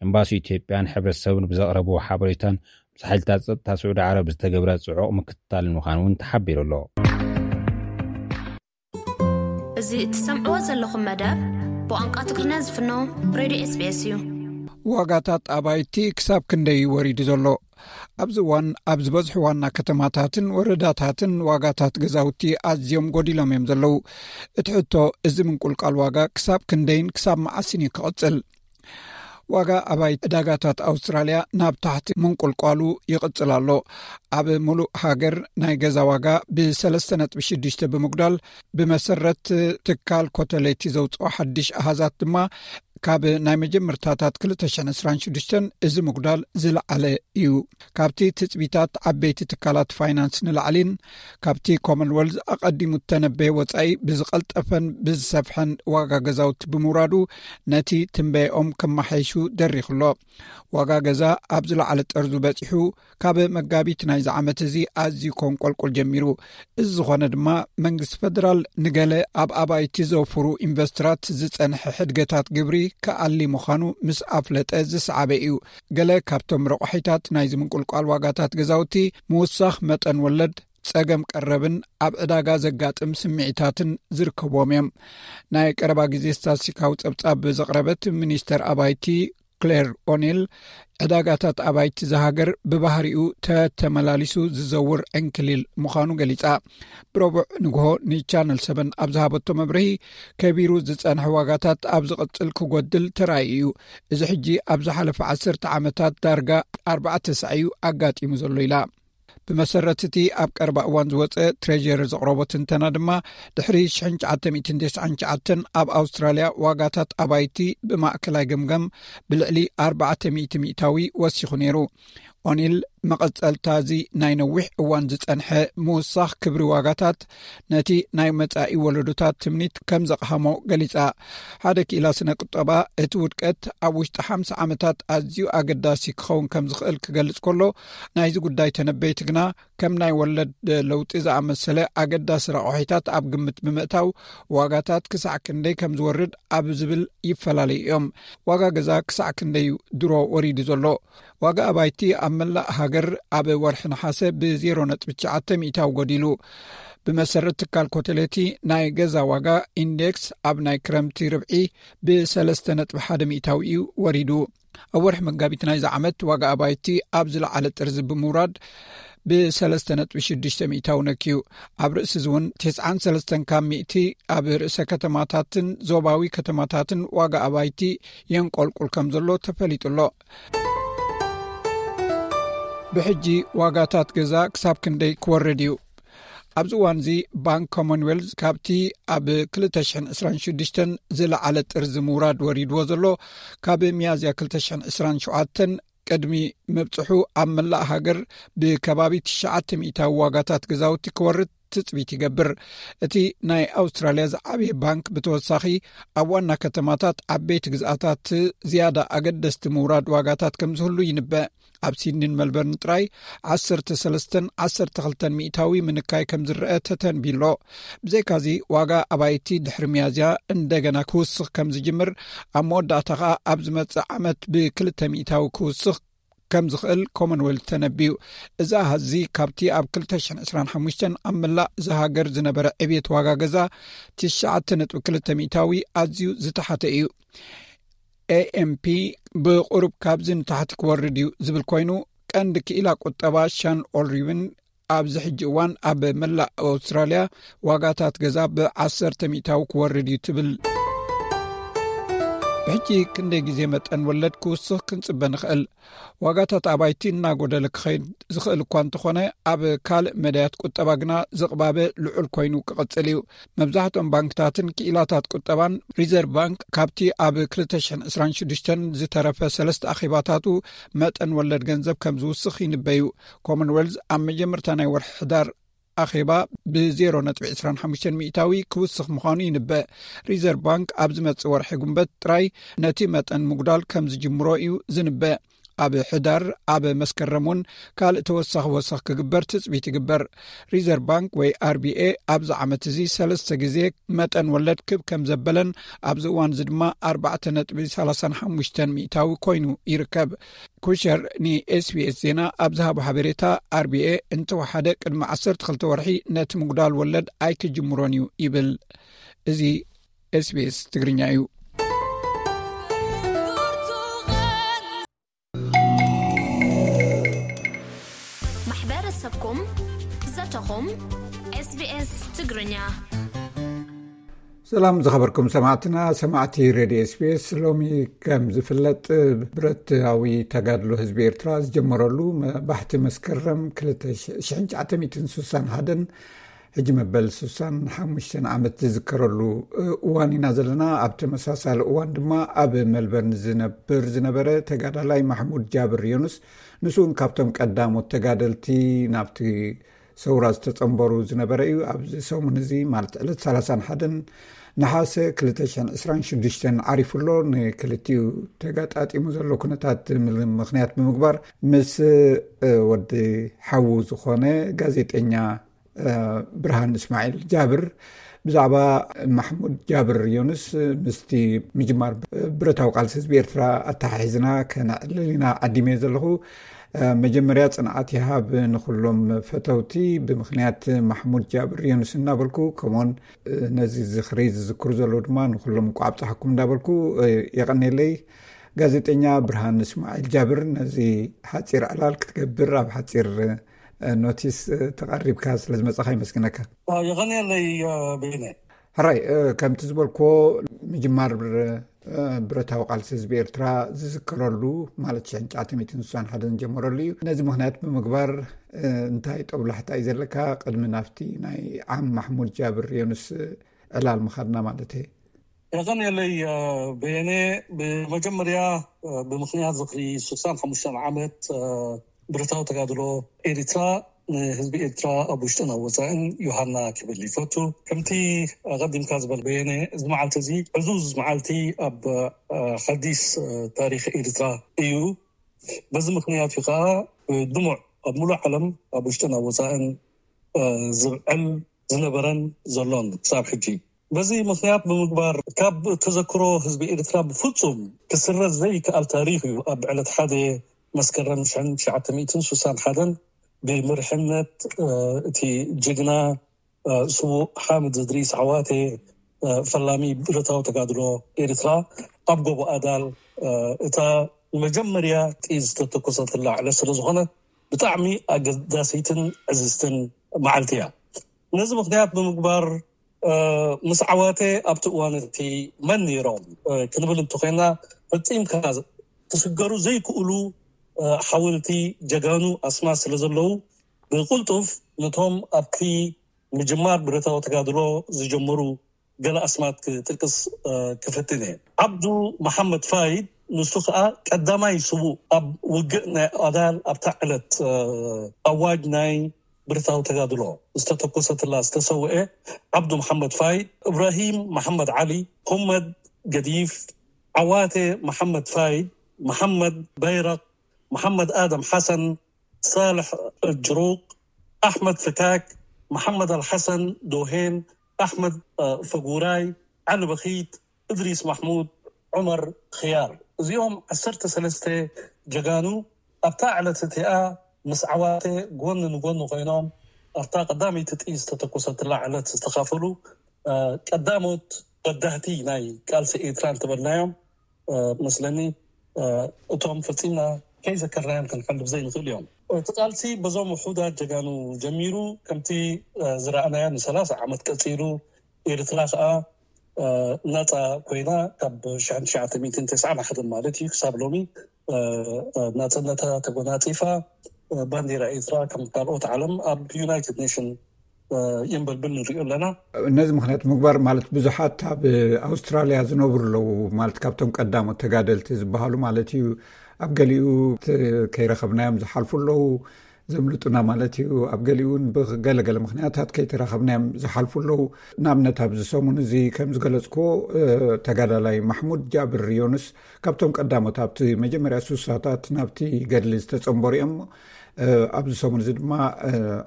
ኤምባሲ ኢትዮጵያን ሕብረተሰብን ብዘቕረብዎ ሓበሬታን ምስ ሓይልታት ጸጥታ ስዑዲ ዓረብ ዝተገብረ ጽዑቕ ምክትታልን ምዃኑ እውን ተሓቢሩ ኣሎ። እዚ እትሰምዕዎ ዘለኹም መደብ ብቋንቋ ትግርኛ ዝፍኖ ሬድዮ ኤስቢኤስ እዩ። ዋጋታት ኣባይቲ ክሳብ ክንደይ እዩ ወሪዱ ዘሎ? ኣብዚ እዋን ኣብ ዝበዝሑ ዋና ከተማታትን ወረዳታትን ዋጋታት ገዛውቲ ኣዝዮም ጎዲሎም እዮም ዘለዉ። እቲ ሕቶ፣ እዚ ምንቁልቃል ዋጋ ክሳብ ክንደይን ክሳብ መዓስን እዩ ክቕጽል? ዋጋ ኣባይቲ ዕዳጋታት ኣውስትራልያ ናብ ታሕቲ ምንቁልቋሉ ይቕጽል ኣሎ። ኣብ ሙሉእ ሃገር ናይ ገዛ ዋጋ ብሰለስተ ነጥቢ ሽዱሽተ ብምጉዳል፣ ብመሰረት ትካል ኮተሌቲ ዘውፅኦ ሓድሽ ኣሃዛት ድማ፣ ካብ ናይ መጀመርታታት ክልተ ሽሕን ዕስራን ሽዱሽተን እዚ ምጉዳል ዝለዓለ እዩ። ካብቲ ትጽቢታት ዓበይቲ ትካላት ፋይናንስ ንላዕሊን ካብቲ ኮመንወልዝ ኣቐዲሙ እተነበየ ወጻኢ ብዝቐልጠፈን ብዝሰፍሐን ዋጋ ገዛውቲ ብምውራዱ፣ ነቲ ትንበየኦም ከመሓይሹ ደሪኹ ኣሎ። ዋጋ ገዛ ኣብ ዝለዓለ ጠርዙ በጺሑ፣ ካብ መጋቢት ናይዚ ዓመት እዚ ኣዝዩ ከንቆልቁል ጀሚሩ። እዚ ዝኾነ ድማ፣ መንግስቲ ፈደራል ንገለ ኣብ ኣባይቲ ዘውፍሩ ኢንቨስተራት ዝጸንሐ ሕድገታት ግብሪ ክኣሊ ምዃኑ ምስ ኣፍለጠ ዝሰዓበ እዩ። ገለ ካብቶም ረቋሒታት ናይዚ ምንቁልቋል ዋጋታት ገዛውቲ፣ ምውሳኽ መጠን ወለድ፣ ጸገም ቀረብን ኣብ ዕዳጋ ዘጋጥም ስምዒታትን ዝርከብዎም እዮም። ናይ ቀረባ ግዜ ስታትስቲካዊ ጸብጻብ ዘቕረበት ሚኒስተር ኣባይቲ ክሌር ኦኔል፣ ዕዳጋታት ኣባይቲ እዛ ሃገር ብባህሪኡ ተተመላሊሱ ዝዘውር ዕንክሊል ምዃኑ ገሊጻ። ብረቡዕ ንግሆ ንቻነል ሰቨን ኣብ ዝሃበቶ መብርሂ፣ ከቢሩ ዝጸንሐ ዋጋታት ኣብ ዝቕጽል ክጎድል ተራእዩ እዩ። እዚ ሕጂ ኣብ ዝሓለፈ ዓሰርተ ዓመታት ዳርጋ ኣርባዕተ ሳዕ እዩ ኣጋጢሙ ዘሎ ኢላ። ብመሰረት እቲ ኣብ ቀረባ እዋን ዝወጸ ትሬጀሪ ዘቕረቦ ትንተና ድማ፣ ድሕሪ ሽሕን ትሽዓተ ሚእትን ተስዓን ትሽዓተን ኣብ ኣውስትራልያ ዋጋታት ኣባይቲ ብማእከላይ ገምጋም ብልዕሊ ኣርባዕተ ሚእቲ ሚእታዊ ወሲኹ ነይሩ። ኦኒል፣ መቐጸልታ እዚ ናይ ነዊሕ እዋን ዝጸንሐ ምውሳኽ ክብሪ ዋጋታት ነቲ ናይ መጻኢ ወለዶታት ትምኒት ከም ዘቕሃሞ ገሊጻ። ሓደ ክኢላ ስነ ቁጠባ፣ እቲ ውድቀት ኣብ ውሽጢ ሓምሳ ዓመታት ኣዝዩ ኣገዳሲ ክኸውን ከም ዝኽእል ክገልጽ ከሎ፣ ናይዚ ጉዳይ ተነበይቲ ግና፣ ከም ናይ ወለድ ለውጢ ዝኣመሰለ ኣገዳሲ ረቋሒታት ኣብ ግምት ብምእታው፣ ዋጋታት ክሳዕ ክንደይ ከም ዝወርድ ኣብ ዝብል ይፈላለዩ እዮም። ዋጋ ገዛ ክሳዕ ክንደይ እዩ ድሮ ወሪዱ ዘሎ? ዋጋ ኣባይቲ ኣብ መላእ ሃገር ኣብ ወርሒ ነሓሰ ብ ዜሮ ነጥቢ ትሽዓተ ሚእታዊ ጎዲሉ። ብመሰረት ትካል ኮተሌቲ፣ ናይ ገዛ ዋጋ ኢንዴክስ ኣብ ናይ ክረምቲ ርብዒ ብ ሰለስተ ነጥቢ ሓደ ሚእታዊ እዩ ወሪዱ። ኣብ ወርሒ መጋቢት ናይዚ ዓመት ዋጋ ኣባይቲ ኣብ ዝለዓለ ጥርዚ ብምውራድ ብ3.6 ሚእታዊ ነክዩ። ኣብ ርእሲ እዚ እውን 93 ካብ ሚእቲ ኣብ ርእሰ ከተማታትን ዞባዊ ከተማታትን ዋጋ ኣባይቲ የንቆልቁል ከም ዘሎ ተፈሊጡ ኣሎ። ብሕጂ ዋጋታት ገዛ ክሳብ ክንደይ ክወርድ እዩ? ኣብዚ እዋን እዚ ባንክ ኮመንዌልዝ ካብቲ ኣብ 2026 ዝለዓለ ጥርዚ ምውራድ ወሪድዎ ዘሎ፣ ካብ ሚያዝያ 2027 ቅድሚ ምብጽሑ ኣብ መላእ ሃገር ብከባቢ 900 ዋጋታት ገዛውቲ ክወርድ ትጽቢት ይገብር። እቲ ናይ ኣውስትራልያ ዝዓበየ ባንክ ብተወሳኺ ኣብ ዋና ከተማታት ዓበይቲ ግዝኣታት ዝያዳ ኣገደስቲ ምውራድ ዋጋታት ከም ዝህሉ ይንበእ። ኣብ ሲድኒን መልበርን ጥራይ 13ን 12 ሚእታዊ ምንካይ ከም ዝረአ ተተንቢሎ። ብዘይካዚ ዋጋ ኣባይቲ ድሕሪ ሚያዝያ እንደገና ክውስኽ ከም ዝጅምር፣ ኣብ መወዳእታ ኸኣ ኣብ ዝመጽእ ዓመት ብ2 ሚእታዊ ክውስኽ ከም ዝኽእል ኮመንዌልት ተነቢዩ። እዚ ኣሃዚ ካብቲ ኣብ 2025 ኣብ መላእ ዝሃገር ዝነበረ ዕብየት ዋጋ ገዛ 9.2 ሚእታዊ ኣዝዩ ዝተሓተ እዩ። ኤኤምፒ ብቁሩብ ካብዚ ንታሕቲ ክወርድ እዩ ዝብል ኮይኑ፣ ቀንዲ ክኢላ ቁጠባ ሻን ኦልሪብን ኣብዚ ሕጂ እዋን ኣብ መላእ ኣውስትራልያ ዋጋታት ገዛ ብ10 ሚእታዊ ክወርድ እዩ ትብል። ብሕጂ ክንደይ ግዜ መጠን ወለድ ክውስኽ ክንጽበ ንኽእል? ዋጋታት ኣባይቲ እናጎደለ ክኸይድ ዝኽእል እኳ እንተኾነ፣ ኣብ ካልእ መዳያት ቁጠባ ግና ዝቕባበ ልዑል ኮይኑ ክቕጽል እዩ። መብዛሕትኦም ባንክታትን ክኢላታት ቁጠባን ሪዘርቭ ባንክ ካብቲ ኣብ 2026 ዝተረፈ ሰለስተ ኣኼባታቱ መጠን ወለድ ገንዘብ ከም ዝውስኽ ይንበዩ። ኮመንዌልዝ ኣብ መጀመርታ ናይ ወርሒ ሕዳር ኣኼባ ብ0.25 ሚእታዊ ክውስኽ ምዃኑ ይንበእ። ሪዘርቭ ባንክ ኣብ ዝመጽእ ወርሒ ጉንበት ጥራይ ነቲ መጠን ምጉዳል ከም ዝጅምሮ እዩ ዝንበእ። ኣብ ሕዳር፣ ኣብ መስከረም እውን ካልእ ተወሳኺ ወሰኽ ክግበር ትጽቢት ይግበር። ሪዘርቭ ባንክ ወይ ኣርቢኤ ኣብዚ ዓመት እዚ ሰለስተ ግዜ መጠን ወለድ ክብ ከም ዘበለን ኣብዚ እዋን እዚ ድማ 4.35 ሚእታዊ ኮይኑ ይርከብ። ኩሸር ንኤስቢኤስ ዜና ኣብ ዝሃቦ ሓበሬታ፣ ኣርቢኤ እንተወሓደ ቅድሚ 12 ወርሒ ነቲ ምጉዳል ወለድ ኣይክጅምሮን እዩ ይብል። እዚ ኤስቢኤስ ትግርኛ እዩ። ማሕበረሰብኩም፣ ዘተኹም፣ ኤስቢኤስ ትግርኛ። ሰላም ዝኸበርኩም ሰማዕትና፣ ሰማዕቲ ሬድዮ ኤስቢኤስ። ሎሚ ከም ዝፍለጥ፣ ብረታዊ ተጋድሎ ህዝቢ ኤርትራ ዝጀመረሉ መ-፣ ባሕቲ መስከረም 1961፣ ሕጂ መበል 65 ዓመት ዝዝከረሉ እዋን ኢና ዘለና። ኣብ ተመሳሳሊ እዋን ድማ ኣብ መልበርን ዝነብር ዝነበረ ተጋዳላይ ማሕሙድ ጃብር ዮኑስ፣ ንሱ እውን ካብቶም ቀዳሞት ተጋደልቲ ናብቲ ሰውራ ዝተጸንበሩ ዝነበረ እዩ። ኣብዚ ሰሙን እዚ፣ ማለት ዕለት 31፣ ነሓሰ 2026 ዓሪፉ ኣሎ። ንክልቲኡ ተጋጣጢሙ ዘሎ ኩነታት ምል-፣ ምኽንያት ብምግባር ምስ፣ እ፣ ወዲ ሓዉ ዝኾነ ጋዜጠኛ፣ እ፣ ብርሃን እስማዒል ጃብር ብዛዕባ ማሕሙድ ጃብር ዮኑስ ምስቲ ምጅማር ብረታዊ ቃልሲ ህዝቢ ኤርትራ ኣተሓሒዝና ከነዕልል ኢና ዓዲመዮ ዘለኹ። እ፣ መጀመርያ ጽንዓት ይሃብ ንኹሎም ፈተውቲ ብምኽንያት ማሕሙድ ጃብር ዮኑስ እናበልኩ፣ ከምኡውን፣ እ፣ ነዚ ዝኽሪ ዝዝክሩ ዘለዉ ድማ ንኹሎም እንቋዕ ኣብጽሓኩም እንዳበልኩ፣ እ፣ የቐኔለይ። ጋዜጠኛ ብርሃን እስማዒል ጃብር፣ ነዚ ሓጺር ዕላል ክትገብር ኣብ ሓጺር፣ እ፣ ኖቲስ፣ እ፣ ተቐሪብካ ስለ ዝመጻኻ ይመስግነካ። እ፣ የቐኔለይ፣ እ፣ በይነ። ሕራይ፣ እ፣ ከምቲ ዝበልክዎ፣ ምጅማር ብር-፣ እ፣ ብረታዊ ቃልሲ ህዝቢ ኤርትራ ዝዝከረሉ፣ ማለት 1961 ዝጀመረሉ እዩ። ነዚ ምኽንያት ብምግባር፣ እ፣ እንታይ ጦብላሕታ እዩ ዘለካ? ቅድሚ ናብቲ ናይ ዓም ማሕሙድ ጃብር ዮኑስ ዕላል ምኻድና ማለት እየ። የቐንየለይ፣ እ፣ በየነ። ብመጀመርያ፣ እ፣ ብምኽንያት ዝኽሪ 65 ዓመት፣ እ፣ ብረታዊ ተጋድሎ ኤሪትራ፣ ንህዝቢ ኤርትራ ኣብ ውሽጥን ኣብ ወጻእን ዮሃና ክብል ይፈቱ። ከምቲ ኣቐዲምካ ዝበል በየነ፣ እዚ መዓልቲ እዚ ዕዙዝ መዓልቲ ኣብ፣ እ፣ ሓዲስ፣ እ፣ ታሪኽ ኤሪትራ እዩ። በዚ ምኽንያት እዩ ከኣ፣ እ፣ ድሙዕ ኣብ ሙሉእ ዓለም ኣብ ውሽጥን ኣብ ወጻእን፣ እ፣ ዝብዕል ዝነበረን ዘሎን ክሳብ ሕጂ። በዚ ምኽንያት ብምግባር፣ ካብ ተዘክሮ ህዝቢ ኤርትራ ብፍጹም ክስረዝ ዘይከኣል ታሪኽ እዩ። ኣብ ዕለት ሓደ መስከረም 1961 ብመሪሕነት፣ እ፣ እቲ ጅግና፣ እ፣ ስዉእ ሓምድ እድሪስ ዓዋቴ፣ እ፣ ፈላሚ ብረታዊ ተጋድሎ ኤርትራ፣ ኣብ ጎቦ ኣዳል፣ እ፣ እታ መጀመርያ ጥይት ዝተተኮሰትላ ዕለት ስለ ዝኾነት፣ ብጣዕሚ ኣገዳሲትን ዕዝዝትን መዓልቲ እያ። ነዚ ምኽንያት ብምግባር፣ ምስ ዓዋተ ኣብቲ እዋን እቲ መን ነይሮም ክንብል እንተኾይና፣ ፈጺምካ ክስገሩ ዘይክእሉ ሓወልቲ ጀጋኑ ኣስማት ስለ ዘለዉ፣ ብቕልጡፍ ነቶም ኣብቲ ምጅማር ብረታዊ ተጋድሎ ዝጀመሩ ገለ ኣስማት ክጥቅስ ክፍትን እየ። ዓብዱ መሓመድ ፋይድ፣ ንሱ ከኣ ቀዳማይ ስዉእ ኣብ ውግእ ናይ ኣዳል ኣብታ ዕለት ኣዋጅ ናይ ብረታዊ ተጋድሎ ዝተተኮሰትላ ዝተሰውአ ዓብዱ መሓመድ ፋይድ፣ እብራሂም መሓመድ ዓሊ፣ ሁመድ ገዲፍ፣ ዓዋተ መሓመድ ፋይድ፣ መሓመድ በይረቕ፣ መሓመድ ኣደም ሓሰን፣ ሳልሕ ጅሩቕ፣ ኣሕመድ ፍካክ፣ መሓመድ ኣልሓሰን ዶሄን፣ ኣሕመድ ፈጉራይ፣ ዓሊ በኺት፣ እድሪስ ማሕሙድ፣ ዑመር ኽያር። እዚኦም ዓሰርተ ሰለስተ ጀጋኑ ኣብታ ዕለት እቲኣ ምስ ዓዋተ ጎኒ ንጎኒ ኮይኖም ኣብታ ቀዳመይቲ ጥይት ዝተተኮሰትላ ዕለት ዝተኻፈሉ ቀዳሞት በዳህቲ ናይ ቃልሲ ኤርትራ እንተበልናዮም መስለኒ እቶም ፈጺምና ከይዘከርናዮም ክንሓልፍ ዘይንኽእል እዮም። እቲ ቃልሲ በዞም ውሑዳት ጀጋኑ ጀሚሩ ከምቲ ዝረኣናዮ ንሰላሳ ዓመት ቀጺሉ፣ ኤርትራ ከኣ ናጻ ኮይና ካብ ሽሕን ትሽዓተ ሚእትን ተስዓን ሓደን ማለት እዩ ክሳብ ሎሚ ናጽነታ ተጎናጺፋ፣ ባንዴራ ኤርትራ ከም ካልኦት ዓለም ኣብ ዩናይትድ ኔሽን ይንበልብል ንሪኦ ኣለና። ነዚ ምኽንያት ምግባር ማለት ብዙሓት ኣብ ኣውስትራልያ ዝነብሩ ኣለዉ ማለት ካብቶም ቀዳሞት ተጋደልቲ ዝበሃሉ ማለት እዩ። ኣብ ገሊኡ ከይረኸብናዮም ዝሓልፉ ኣለዉ፣ ዘምልጡና ማለት እዩ። ኣብ ገሊኡ እውን ብገለገለ ምኽንያታት ከይተራኸብናዮም ዝሓልፉ ኣለዉ። ንኣብነት ኣብዚ ሰሙን እዚ ከም ዝገለጽክዎ ተጋዳላይ ማሕሙድ ጃብር ዮኑስ ካብቶም ቀዳሞት ኣብቲ መጀመርያ ሱሳታት ናብቲ ገድሊ ዝተጸንበሩ እዮም። ኣብዚ ሰሙን እዚ ድማ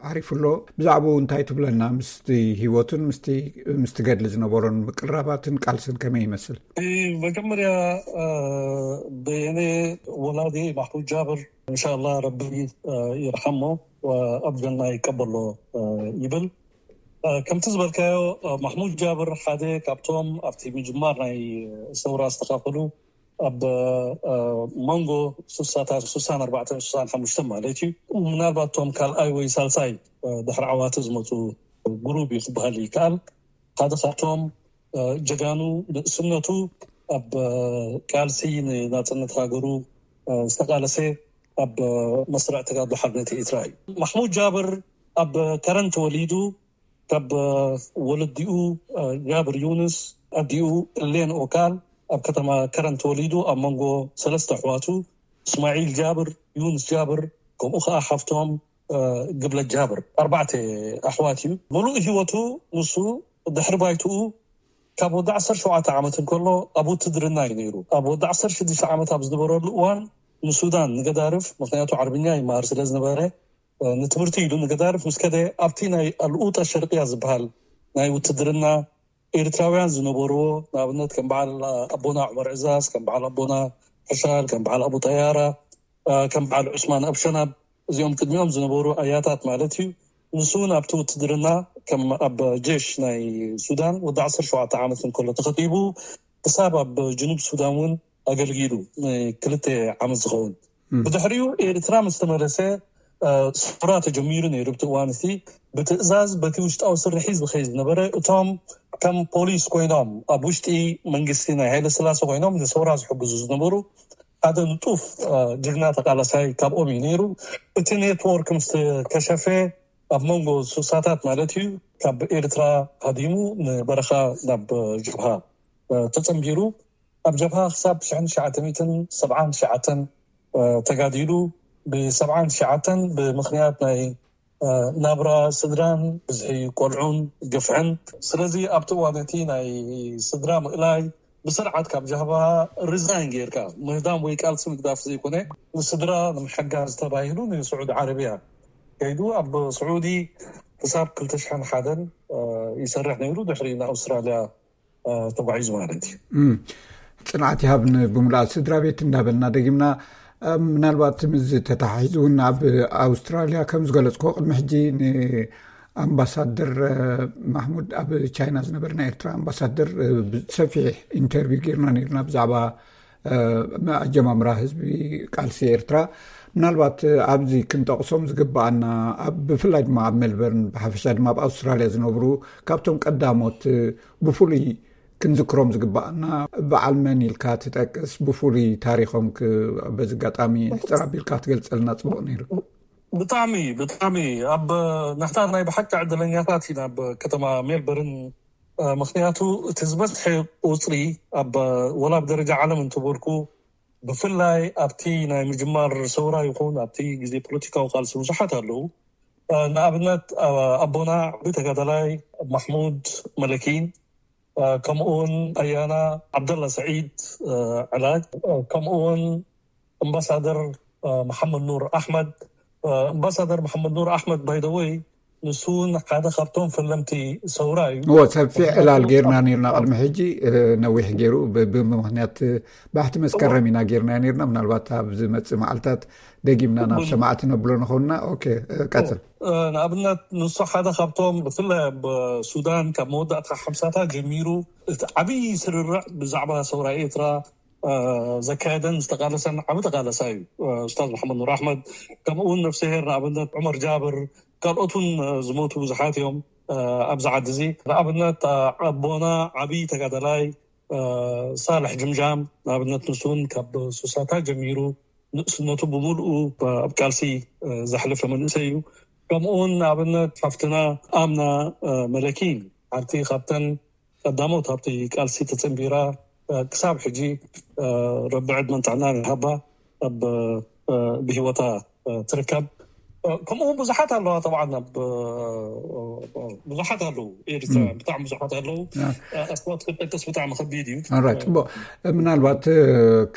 ዓሪፉ ኣሎ። ብዛዕባኡ እንታይ ትብለና? ምስቲ ህይወቱን ምስቲ ገድሊ ዝነበሮን ምቅርራባትን ቃልስን ከመይ ይመስል? መጀመርያ ብየኔ ወላዲ ማሕሙድ ጃብር እንሻላ ረቢ ይርሓሞ ኣብ ጀና ይቀበሎ ይብል። ከምቲ ዝበልካዮ ማሕሙድ ጃብር ሓደ ካብቶም ኣብቲ ምጅማር ናይ ሰውራ ዝተኻፈሉ ኣብ መንጎ ሱሳታት ሱሳን ኣርባዕተን ሱሳን ሓሙሽተን ማለት እዩ። ምናልባት እቶም ካልኣይ ወይ ሳልሳይ ድሕሪ ዓዋተ ዝመፁ ግሩብ እዩ ክበሃል ይከኣል። ሓደ ካብቶም ጀጋኑ ንእስነቱ ኣብ ቃልሲ ንናፅነት ሃገሩ ዝተቃለሰ ኣብ መስርዕ ተጋድሎ ሓርነት ኤርትራ እዩ። ማሕሙድ ጃብር ኣብ ከረን ተወሊዱ ካብ ወለዲኡ ጃብር ዩንስ ኣዲኡ እሌን ኦካል ኣብ ከተማ ከረን ተወሊዱ ኣብ መንጎ ሰለስተ ኣሕዋቱ እስማዒል ጃብር፣ ዩንስ ጃብር ከምኡ ከዓ ሓፍቶም ግብለት ጃብር ኣርባዕተ ኣሕዋት እዩ። ሙሉእ ህይወቱ ንሱ ድሕሪ ባይትኡ ካብ ወዲ ዓሰርተ ሸውዓተ ዓመት እንከሎ ኣብ ውትድርና እዩ ነይሩ። ኣብ ወዲ ዓሰርተ ሽዱሽተ ዓመት ኣብ ዝነበረሉ እዋን ንሱዳን ንገዳርፍ፣ ምክንያቱ ዓርብኛ ይመሃር ስለ ዝነበረ ንትምህርቲ ኢሉ ንገዳርፍ ምስ ከደ ኣብቲ ናይ ኣልኡጣ ሸርቅያ ዝበሃል ናይ ውትድርና ኤርትራውያን ዝነበርዎ ንኣብነት ከም በዓል ኣቦና ዑመር ዕዛዝ፣ ከም በዓል ኣቦና ሕሻል፣ ከም በዓል ኣቡ ጠያራ፣ ከም በዓል ዑስማን ኣብሸናብ እዚኦም ቅድሚኦም ዝነበሩ ኣያታት ማለት እዩ። ንሱ እውን ኣብቲ ውትድርና ከም ኣብ ጀሽ ናይ ሱዳን ወዲ ዓሰርተ ሸውዓተ ዓመት እንከሎ ተኸቲቡ ክሳብ ኣብ ጅኑብ ሱዳን እውን ኣገልጊሉ ንክልተ ዓመት ዝኸውን። ብድሕሪኡ ኤርትራ ምስ ተመለሰ ስፍራ ተጀሚሩ ነይሩ። ብቲ እዋን እቲ ብትእዛዝ በቲ ውሽጣዊ ስርሒ ዝኸይ ዝነበረ እቶም ከም ፖሊስ ኮይኖም ኣብ ውሽጢ መንግስቲ ናይ ሃይለ ስላሴ ኮይኖም ንሰውራ ዝሕግዙ ዝነበሩ ሓደ ንጡፍ ጅግና ተቃላሳይ ካብኦም እዩ ነይሩ። እቲ ኔትወርክ ምስ ከሸፈ ኣብ መንጎ ሱሳታት ማለት እዩ ካብ ኤርትራ ሃዲሙ ንበረኻ ናብ ጀብሃ ተጸንቢሩ። ኣብ ጀብሃ ክሳብ ሽሕን ትሽዓተ ሚእትን ሰብዓን ትሽዓተን ተጋዲሉ። ብሰብዓን ትሽዓተን ብምኽንያት ናይ ናብራ ስድራን ብዝሒ ቆልዑን ግፍዕን። ስለዚ ኣብቲ እዋን እቲ ናይ ስድራ ምእላይ ብስርዓት ካብ ጀብሃ ሪዛይን ጌርካ ምህዳም ወይ ቃልሲ ምግዳፍ ዘይኮነ ንስድራ ንምሕጋዝ ተባሂሉ ንስዑዲ ዓረብያ ከይዱ ኣብ ስዑዲ ክሳብ ክልተ ሽሕን ሓደን ይሰርሕ ነይሩ። ድሕሪ ንኣውስትራልያ ተጓዒዙ ማለት እዩ። ጽንዓት ይሃብ ንብምልኣት ስድራ ቤት እንዳበልና ደጊምና ምናልባት ምስ ተታሒዙ እውን ኣብ ኣውስትራልያ ከም ዝገለጽኮ ቅድሚ ሕጂ ንኣምባሳደር ማሕሙድ ኣብ ቻይና ዝነበረ ናይ ኤርትራ ኣምባሳደር ሰፊሕ ኢንተርቪው ጌርና ነርና ብዛዕባ ኣጀማምራ ህዝቢ ቃልሲ ኤርትራ፣ ምናልባት ኣብዚ ክንጠቕሶም ዝግባኣና፣ ኣብ ብፍላይ ድማ ኣብ ሜልበርን፣ ብሓፈሻ ድማ ኣብ ኣውስትራልያ ዝነብሩ፣ ካብቶም ቀዳሞት ብፍሉይ ክንዝክሮም ዝግባኣና በዓል መን ኢልካ ትጠቅስ? ብፍሉይ ታሪኾም ክ-፣ በዚ ኣጋጣሚ ሕጽር ኣቢልካ ትገልጸልና ጽቡቕ ነይሩ። ብጣዕሚ፣ ብጣዕሚ ኣብ ንሕና ናይ ብሓቂ ዕድለኛታት ኢና ኣብ ከተማ ሜልበርን። እ፣ ምኽንያቱ እቲ ዝበዝሐ ቁጽሪ ኣብ፣ ወላ ኣብ ደረጃ ዓለም እንትበልኩ፣ ብፍላይ ኣብቲ ናይ ምጅማር ሰውራ ይኹን ኣብቲ ግዜ ፖለቲካዊ ቃልሲ ብዙሓት ኣለዉ። እ፣ ንኣብነት፣ እ፣ ኣቦና ዓቢ ተጋዳላይ ማሕሙድ መለኪን፣ እ፣ ከምኡ እውን ኣያና ዓብደላ ሰዒድ፣ እ፣ ዕላጅ፣ እ፣ ከምኡ እውን ኣምባሳደር፣ እ፣ መሓመድ ኑር ኣሕመድ፣ እ፣ ኣምባሳደር መሓመድ ኑር ኣሕመድ፣ ባይ ዘ ወይ፣ ንሱ እውን ሓደ ካብቶም ፈለምቲ ሰውራ እዩ። እዎ፣ ሰፊሕ ዕላል ጌርና ነይርና ቅድሚ ሕጂ፣ እ፣ ነዊሕ ገይሩ ብ-፣ ብምኽንያት ባሕቲ መስከረም ኢና ጌርና ነይርና። ምናልባት ኣብ ዝመጽእ መዓልታት ደጊምና ናብ ሰማዕቲ ነብሎ ንኸውንና። ኦኬ፣ እ፣ ቀጽል። እ፣ ንኣብነት ንሱ ሓደ ካብቶም ብፍላይ ኣብ ሱዳን ካብ መወዳእታ ሓምሳታት ጀሚሩ እቲ ዓብዪ ስርርዕ ብዛዕባ ሰውራ ኤርትራ፣ እ፣ ዘካየደን ዝተቃለሰን ዓቢ ተቃለሳይ እዩ፣ እ፣ ኡስታዝ መሓመድ ኑር ኣሕመድ። ከምኡ እውን ነፍስሄር ንኣብነት ዑመር ጃብር፣ ካልኦት እውን፣ እ፣ ዝሞቱ ብዙሓት እዮም፣ እ፣ ኣብዚ ዓዲ እዚ። ንኣብነት፣ እ፣ ኣቦና ዓቢ ተጋዳላይ፣ እ፣ ሳልሕ ጅምጃም፣ ንኣብነት ንሱ እውን ካብ ሱሳታት ጀሚሩ ንእስነቱ ብምልኡ ኣብ ቃልሲ፣ እ፣ ዘሕለፈ መንእሰይ እዩ። ከምኡ እውን ንኣብነት ሓፍትና ኣምና፣ እ፣ መለኪን፣ ሓንቲ ካብተን ቀዳሞት ኣብቲ ቃልሲ ተጸንቢራ፣ እ፣ ክሳብ ሕጂ፣ እ፣ ረቢ ዕድመን ጥዕናን ይሃባ፣ ኣብ፣ እ፣ ብህይወታ፣ እ፣ ትርከብ። እ፣ ከምኡ እውን ብዙሓት ኣለዋ። ጠብዓን ኣብ፣ እ፣ እ፣ ብዙሓት ኣለዉ። ኤርትራ ም። ብጣዕሚ ብዙሓት ኣለዉ። ያ። እ፣ ኣስማት ክጠቅስ ብጣዕሚ ከቢድ እዩ። ኦራይት፣ ጽቡቕ። ምናልባት፣ እ፣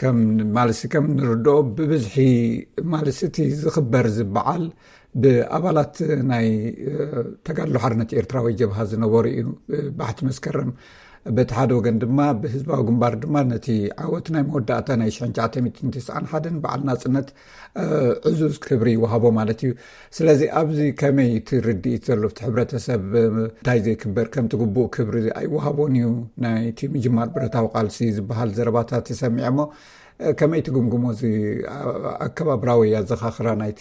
ከም ማለሲ ከም ንርድኦ ብብዝሒ ማለሲ እቲ ዝኽበር ዝበዓል ብኣባላት ናይ፣ እ፣ ተጋድሎ ሓርነት ኤርትራ ወይ ጀብሃ ዝነበሩ እዩ። እ፣ ባሕቲ መስከረም በቲ ሓደ ወገን ድማ ብህዝባዊ ግንባር ድማ ነቲ ዓወት ናይ መወዳእታ ናይ ሽሕን ትሽዓተ ሚእትን ተስዓን ሓደን በዓል ናጽነት፣ እ፣ ዕዙዝ ክብሪ ይወሃቦ ማለት እዩ። ስለዚ ኣብዚ ከመይ እቲ ርድኢት ዘሎ ኣብቲ ሕብረተሰብ፣ እ፣ እንታይ ዘይክበር ከምቲ ግቡእ ክብሪ ኣይወሃቦን እዩ ናይቲ ምጅማር ብረታዊ ቃልሲ ዝበሃል ዘረባታት ይሰሚዐ እሞ፣ እ፣ ከመይ ትግምግሞ እዚ ኣ-፣ ኣከባብራዊ ኣዘኻኽራ ናይቲ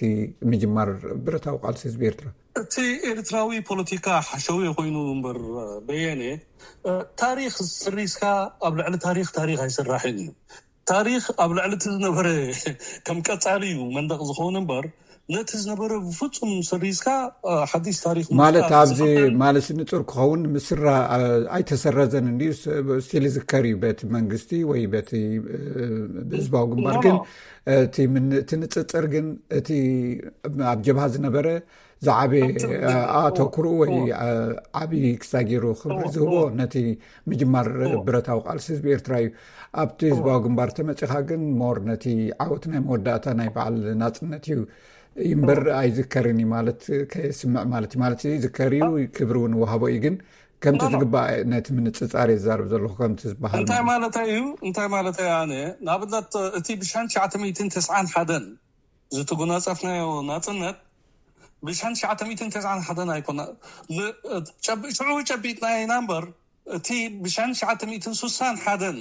ምጅማር ብረታዊ ቃልሲ ህዝቢ ኤርትራ? እቲ ኤርትራዊ ፖለቲካ ሓሸውየ ኮይኑ እምበር፣ በየነ፣ እ፣ ታሪኽ ስሪስካ ኣብ ልዕሊ ታሪኽ፣ ታሪኽ ኣይስራሕን እዩ። ታሪኽ ኣብ ልዕሊ እቲ ዝነበረ ከም ቀጻሊ እዩ መንደቕ ዝኸውን እምበር፣ ነቲ ዝነበረ ብፍጹም ስሪስካ፣ እ፣ ሓድሽ ታሪኽ ማለት ምፍጣር ኣብዚ ዝፍጠር ማለት ንጹር ክኸውን ምስራ፣ እ፣ ኣይተሰረዘን እንድዩ፣ ስ-፣ ስቲል ይዝከር እዩ በቲ መንግስቲ ወይ በቲ፣ እ፣ ብህዝባዊ ግንባር። ኖ፣ ግን ኖ። እቲ ምን-፣ እቲ ንጽጽር ግን እቲ ኣብ ጀብሃ ዝነበረ ዝዓበየ፣ ኣብቲ እ፣ ኣተኩሩ ወይ፣ እዎ። እ፣ ዓቢ ክሳብ ገይሩ ክብሪ እዎ፣ ዝህቦ እዎ። ነቲ ምጅማር እዎ። ብረታዊ ቃልሲ ህዝቢ ኤርትራ እዩ። ኣብቲ እዎ። ህዝባዊ ግንባር ተመጺኻ ግን ሞር ነቲ ዓወት ናይ መወዳእታ ናይ በዓል ናጽነት እዩ እምበር እዎ። ኣይዝከርን እዩ ማለት ከየስምዕ ማለት እዩ። ማለት ይዝከር እዩ፣ አ- ክብሪ እውን ይወሃቦ እዩ። ግን ከምቲ ኖ፣ ኖ። ዝግባእ ነቲ ምንጽጻር እየ ዝዛረብ ዘለኹ፣ ከምቲ ዝበሃል እንታይ ማለት ማለት እዩ። እንታይ ማለት እዩ? ኣነ ንኣብነት እቲ ብሽሕን ትሽዓተ ሚእትን ተስዓን ሓደን ዝተጎናጸፍናዮ ናጽነት ብሽሕን ትሽዓተ ሚእትን ተስዓን ሓደን ኣይኮነ። ል-፣ ጨቢ-፣ ሽዑ ጨቢጥና ኢና እምበር፣ እቲ ብሽሕን ትሽዓተ ሚእትን ስሳን ሓደን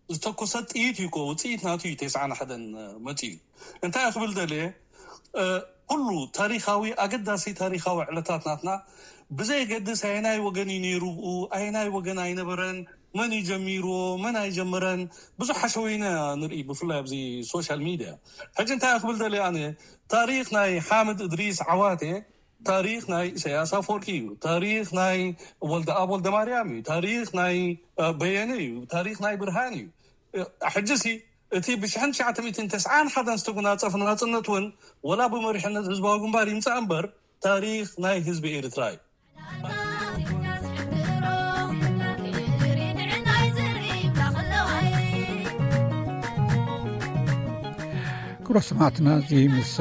ዝተኮሰ ጥይት እዩ እኮ፣ ውጽኢት ናቱ እዩ ተስዓን ሓደን መጺኡ። እንታይ ክብል ደልየ፣ እ፣ ኩሉ ታሪኻዊ፣ ኣገዳሲ ታሪኻዊ ዕለታት ናትና ብዘየገድስ ኣየናይ ወገን እዩ ነይሩ ብኡ፣ ኣየናይ ወገን ኣይነበረን፣ መን እዩ ጀሚርዎ፣ መን ኣይጀመረን፣ ብዙሕ ሓሸውየ ኢና ንርኢ፣ ብፍላይ ኣብዚ ሶሻል ሚድያ። ሕጂ እንታይ ክብል ደልየ ኣነ፣ ታሪኽ ናይ ሓምድ እድሪስ ዓዋቴ፣ ታሪኽ ናይ ኢሳያስ ኣፈወርቂ እዩ። ታሪኽ ናይ ወልደኣብ ወልደማርያም እዩ። ታሪኽ ናይ፣ እ፣ በየነ እዩ። ታሪኽ ናይ ብርሃን እዩ። እ፣ ሕጂሲ እቲ ብሽሕን ትሽዓተ ሚእትን ተስዓን ሓደን ዝተጎናጸፈ ናጽነት እውን ወላ ብመሪሕነት ህዝባዊ ግንባር ይምጻእ እምበር፣ ታሪኽ ናይ ህዝቢ ኤርትራ እዩ። ክቡራት ሰማዕትና፣ እዚ ምስ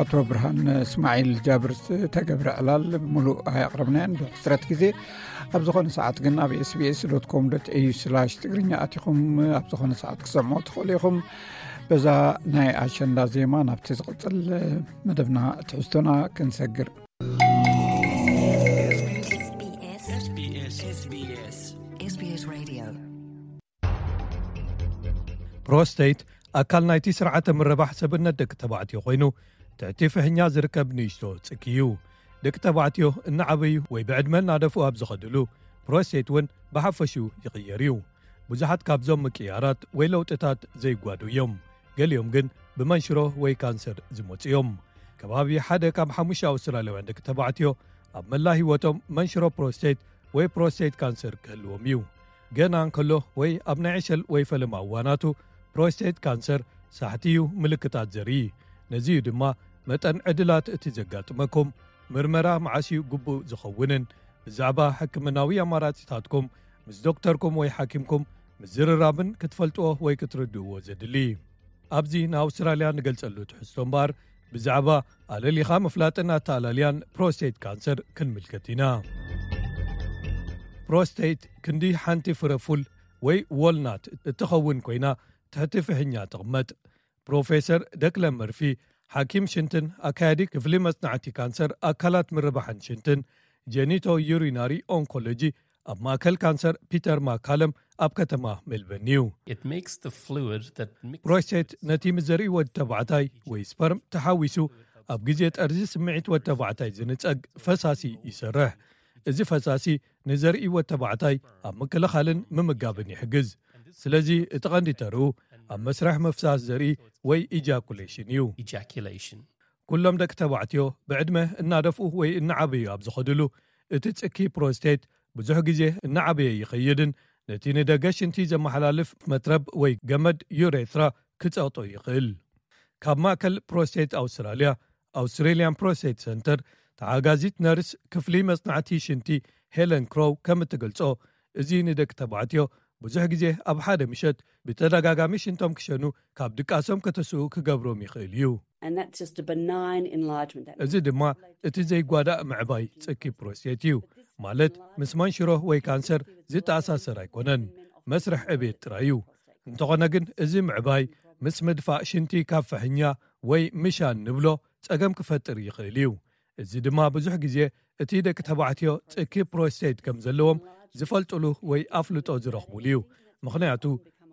ኣቶ ብርሃን እስማዒል ጃብር ዝተገብረ ዕላል ብምሉእ ኣየቕረብናዮን፣ ብሕስረት ግዜ ኣብ ዝኾነ ሰዓት ግን ኣብ ኤስቢኤስ ዶት ኮም ዶት ኤዩ ስላሽ ትግርኛ ኣቲኹም ኣብ ዝኾነ ሰዓት ክሰምዑ ትኽእሉ ኢኹም። በዛ ናይ ኣሸንዳ ዜማ ናብቲ ዝቕጽል መደብና ትሕዝቶና ክንሰግር። SBS Radio። ፕሮስተይት ኣካል ናይቲ ስርዓተ ምርባሕ ሰብነት ደቂ ተባዕትዮ ኮይኑ፣ ትሕቲ ፍሕኛ ዝርከብ ንእሽቶ ጽኪ እዩ። ደቂ ተባዕትዮ እናዓበዩ ወይ ብዕድመ እናደፍኡ ኣብ ዝኸድሉ፣ ፕሮስተይት እውን ብሓፈሽኡ ይቕየር እዩ። ብዙሓት ካብዞም ምቅያራት ወይ ለውጥታት ዘይጓዱ እዮም። ገሊኦም ግን ብመንሽሮ ወይ ካንሰር ዝመጹ እዮም። ከባቢ ሓደ ካብ ሓሙሽተ ኣውስትራልያውያን ደቂ ተባዕትዮ ኣብ መላ ህይወቶም መንሽሮ ፕሮስተይት ወይ ፕሮስተይት ካንሰር ክህልዎም እዩ። ገና እንከሎ ወይ ኣብ ናይ ዕሸል ወይ ፈለማ እዋናቱ፣ ፕሮስተይት ካንሰር ሳሕቲ እዩ ምልክታት ዘርኢ። ነዚ እዩ ድማ መጠን ዕድላት እቲ ዘጋጥመኩም፣ ምርመራ መዓስ እዩ ግቡእ ዝኸውንን፣ ብዛዕባ ሕክምናዊ ኣማራጺታትኩም ምስ ዶክተርኩም ወይ ሓኪምኩም ምዝርራብን ክትፈልጥዎ ወይ ክትርድእዎ ዘድሊ። ኣብዚ ንኣውስትራልያ ንገልጸሉ ትሕዝቶ እምበኣር፣ ብዛዕባ ኣለሊኻ ምፍላጥን ኣተኣላልያን ፕሮስቴት ካንሰር ክንምልከት ኢና። ፕሮስቴት ክንዲ ሓንቲ ፍረ ፉል ወይ ዎልናት እትኸውን ኮይና፣ ትሕቲ ፍሕኛ ትቕመጥ። ፕሮፌሰር ደክለን መርፊ፣ ሓኪም ሽንትን ኣካያዲ ክፍሊ መጽናዕቲ ካንሰር ኣካላት ምርባሕን ሽንትን፣ ጀኒቶ ዩሪናሪ ኦንኮሎጂ ኣብ ማእከል ካንሰር ፒተር ማካለም ኣብ ከተማ ሜልበርን እዩ። It makes the fluid that mixes ፕሮስቴት ነቲ ምስ ዘርኢ ወዲ ተባዕታይ ወይ ስፐርም ተሓዊሱ ኣብ ግዜ ጠርዚ ስምዒት ወዲ ተባዕታይ ዝንጸግ ፈሳሲ ይሰርሕ። እዚ ፈሳሲ ንዘርኢ ወዲ ተባዕታይ ኣብ ምክልኻልን ምምጋብን ይሕግዝ። ስለዚ እቲ ቀንዲ ተርኡ ኣብ መስርሕ ምፍሳስ ዘርኢ ወይ ኢጃኩሌሽን እዩ። Ejaculation። ኩሎም ደቂ ተባዕትዮ ብዕድመ እናደፍኡ ወይ እናዓበዩ ኣብ ዝኸድሉ፣ እቲ ጽኪ ፕሮስቴት ብዙሕ ግዜ እናዓበየ ይኸይድን ነቲ ንደገ ሽንቲ ዘመሓላልፍ መትረብ ወይ ገመድ ዩሬትራ ክጸቕጦ ይኽእል። ካብ ማእከል ፕሮስቴት ኣውስትራልያ፣ ኣውስትሬልያን ፕሮስቴት ሰንተር፣ ተሓጋዚት ነርስ ክፍሊ መጽናዕቲ ሽንቲ ሄለን ክሮው ከም እትገልጾ፣ እዚ ንደቂ ተባዕትዮ ብዙሕ ግዜ ኣብ ሓደ ምሸት ብተደጋጋሚ ሽንቶም ክሸኑ ካብ ድቃሶም ከተስኡ ክገብሮም ይኽእል እዩ። And that's just a benign enlargement. That እዚ ድማ እቲ ዘይጓዳእ ምዕባይ ጽኪ ፕሮስቴት እዩ። ማለት ምስ መንሽሮ ወይ ካንሰር ዝተኣሳሰር ኣይኮነን። መስርሕ ዕቤት ጥራይ እዩ። እንተኾነ ግን እዚ ምዕባይ ምስ ምድፋእ ሽንቲ ካብ ፍሕኛ ወይ ምሻን ንብሎ ጸገም ክፈጥር ይኽእል እዩ። እዚ ድማ ብዙሕ ግዜ እቲ ደቂ ተባዕትዮ ጽኪ ፕሮስቴት ከም ዘለዎም ዝፈልጥሉ ወይ ኣፍልጦ ዝረኽቡሉ እዩ። ምኽንያቱ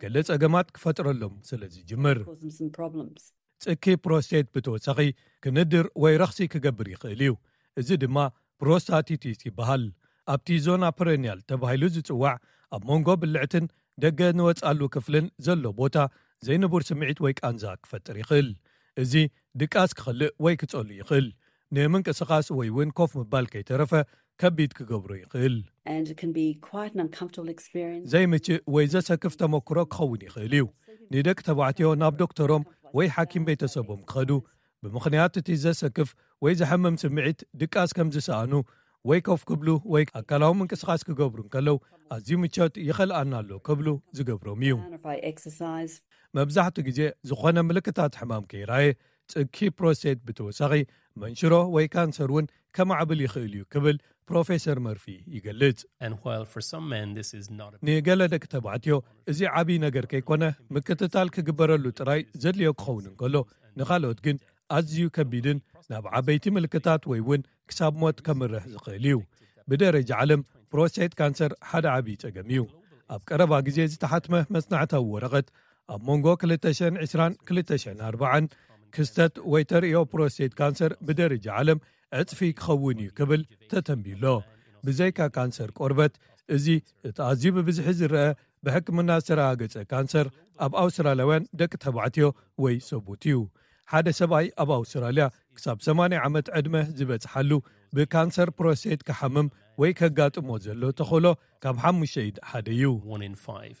ገለ ጸገማት ክፈጥረሎም ስለ ዝጅምር። Cause them some problems. ጽኪ ፕሮስቴት ብተወሳኺ ክንድር ወይ ረኽሲ ክገብር ይኽእል እዩ። እዚ ድማ ፕሮስታቲቲስ ይበሃል። ኣብቲ ዞና ፐረኒያል ተባሂሉ ዝጽዋዕ ኣብ መንጎ ብልዕትን ደገ ንወጻሉ ክፍልን ዘሎ ቦታ ዘይንቡር ስምዒት ወይ ቃንዛ ክፈጥር ይኽእል። እዚ ድቃስ ክኸልእ ወይ ክጸሉ ይኽእል። ንምንቅስቓስ ወይ እውን ኮፍ ምባል ከይተረፈ ከቢድ ክገብሮ ይኽእል። And it can be quite an uncomfortable experience. ዘይምችእ ወይ ዘሰክፍ ተመክሮ ክኸውን ይኽእል እዩ። ንደቂ ተባዕትዮ ናብ ዶክተሮም ወይ ሓኪም ቤተሰቦም ክኸዱ፣ ብምኽንያት እቲ ዘሰክፍ ወይ ዘሐምም ስምዒት ድቃስ ከም ዝሰኣኑ ወይ ኮፍ ክብሉ ወይ ኣካላዊ ምንቅስቓስ ክገብሩ እንከለዉ፣ ኣዝዩ ምቾት ይኸልኣና ኣሎ ክብሉ ዝገብሮም እዩ። Down if I exercise. መብዛሕትኡ ግዜ ዝኾነ ምልክታት ሕማም ከይረኣየ፣ ጽኪ ፕሮስቴት ብተወሳኺ መንሽሮ ወይ ካንሰር እውን ከማዕብል ይኽእል እዩ ክብል ፕሮፌሰር መርፊ ይገልጽ። And while for some men this is not a ንገለ ደቂ ተባዕትዮ እዚ ዓብዪ ነገር ከይኮነ፣ ምክትታል ክግበረሉ ጥራይ ዘድልዮ ክኸውን እንከሎ፣ ንኻልኦት ግን ኣዝዩ ከቢድን ናብ ዓበይቲ ምልክታት ወይ እውን ክሳብ ሞት ከምርሕ ዝኽእል እዩ። ብደረጃ ዓለም ፕሮስቴት ካንሰር ሓደ ዓብዪ ጸገም እዩ። ኣብ ቀረባ ግዜ ዝተሓትመ መጽናዕታዊ ወረቐት፣ ኣብ መንጎ ክልተ ሽሕን ዕስራን ክልተ ሽሕን ኣርባዓን ክስተት ወይ ተርእዮ ፕሮስቴት ካንሰር ብደረጃ ዓለም ዕጽፊ ክኸውን እዩ ክብል ተተንቢሎ። ብዘይካ ካንሰር ቆርበት፣ እዚ እቲ ኣዝዩ ብብዝሒ ዝረአ ብሕክምና ዝተረጋገጸ ካንሰር ኣብ ኣውስትራልያውያን ደቂ ተባዕትዮ ወይ ሰቡት እዩ። ሓደ ሰብኣይ ኣብ ኣውስትራልያ ክሳብ ሰማንያ ዓመት ዕድመ ዝበጽሓሉ ብካንሰር ፕሮስቴት ክሓምም ወይ ከጋጥሞ ዘሎ ተኽእሎ ካብ ሓሙሽተ ኢድ ሓደ እዩ። One in five.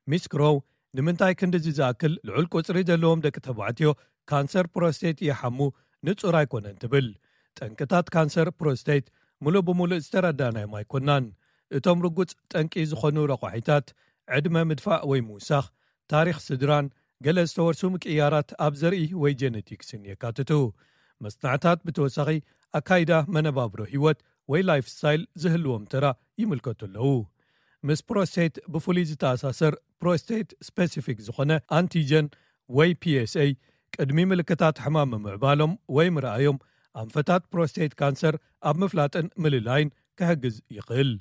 ሚስ ክሮው፣ ንምንታይ ክንድዚ ዝኣክል ልዑል ቁጽሪ ዘለዎም ደቂ ተባዕትዮ ካንሰር ፕሮስቴት ይሓሙ ንጹር ኣይኮነን ትብል። ጠንቅታት ካንሰር ፕሮስቴት ምሉእ ብምሉእ ዝተረዳእናዮም ኣይኮናን። እቶም ርጉጽ ጠንቂ ዝኾኑ ረቋሒታት፣ ዕድመ ምድፋእ ወይ ምውሳኽ፣ ታሪኽ ስድራን ገለ ዝተወርሱ ምቅያራት ኣብ ዘርኢ ወይ ጀነቲክስን የካትቱ። መጽናዕታት ብተወሳኺ ኣካይዳ መነባብሮ ህይወት ወይ ላይፍ ስታይል ዝህልዎም ተራ ይምልከቱ ኣለዉ። ምስ ፕሮስቴት ብፍሉይ ዝተኣሳሰር ፕሮስቴት ስፔሲፊክ ዝኾነ ኣንቲጀን ወይ ፒኤስኤ ቅድሚ ምልክታት ሕማም ምምዕባሎም ወይ ምርኣዮም ኣንፈታት ፕሮስቴት ካንሰር ኣብ ምፍላጥን ምልላይን ክሕግዝ ይኽእል።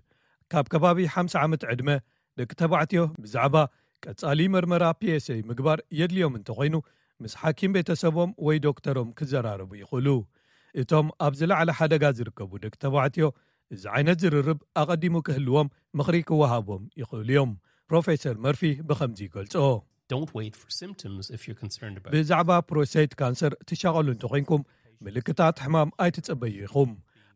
ካብ ከባቢ ሓምሳ ዓመት ዕድመ ደቂ ተባዕትዮ ብዛዕባ ቀጻሊ መርመራ ፒኤስኤ ምግባር የድልዮም እንተኾይኑ፣ ምስ ሓኪም ቤተሰቦም ወይ ዶክተሮም ክዘራረቡ ይኽእሉ። እቶም ኣብ ዝለዓለ ሓደጋ ዝርከቡ ደቂ ተባዕትዮ እዚ ዓይነት ዝርርብ ኣቐዲሙ ክህልዎም ምኽሪ ክወሃቦም ይኽእሉ እዮም። ፕሮፌሰር መርፊ ብኸምዚ ይገልጾ። Don't wait for symptoms if you're concerned about ብዛዕባ ፕሮስቴት ካንሰር ትሻቐሉ እንተኾይንኩም፣ ምልክታት ሕማም ኣይትጸበዩ ኢኹም።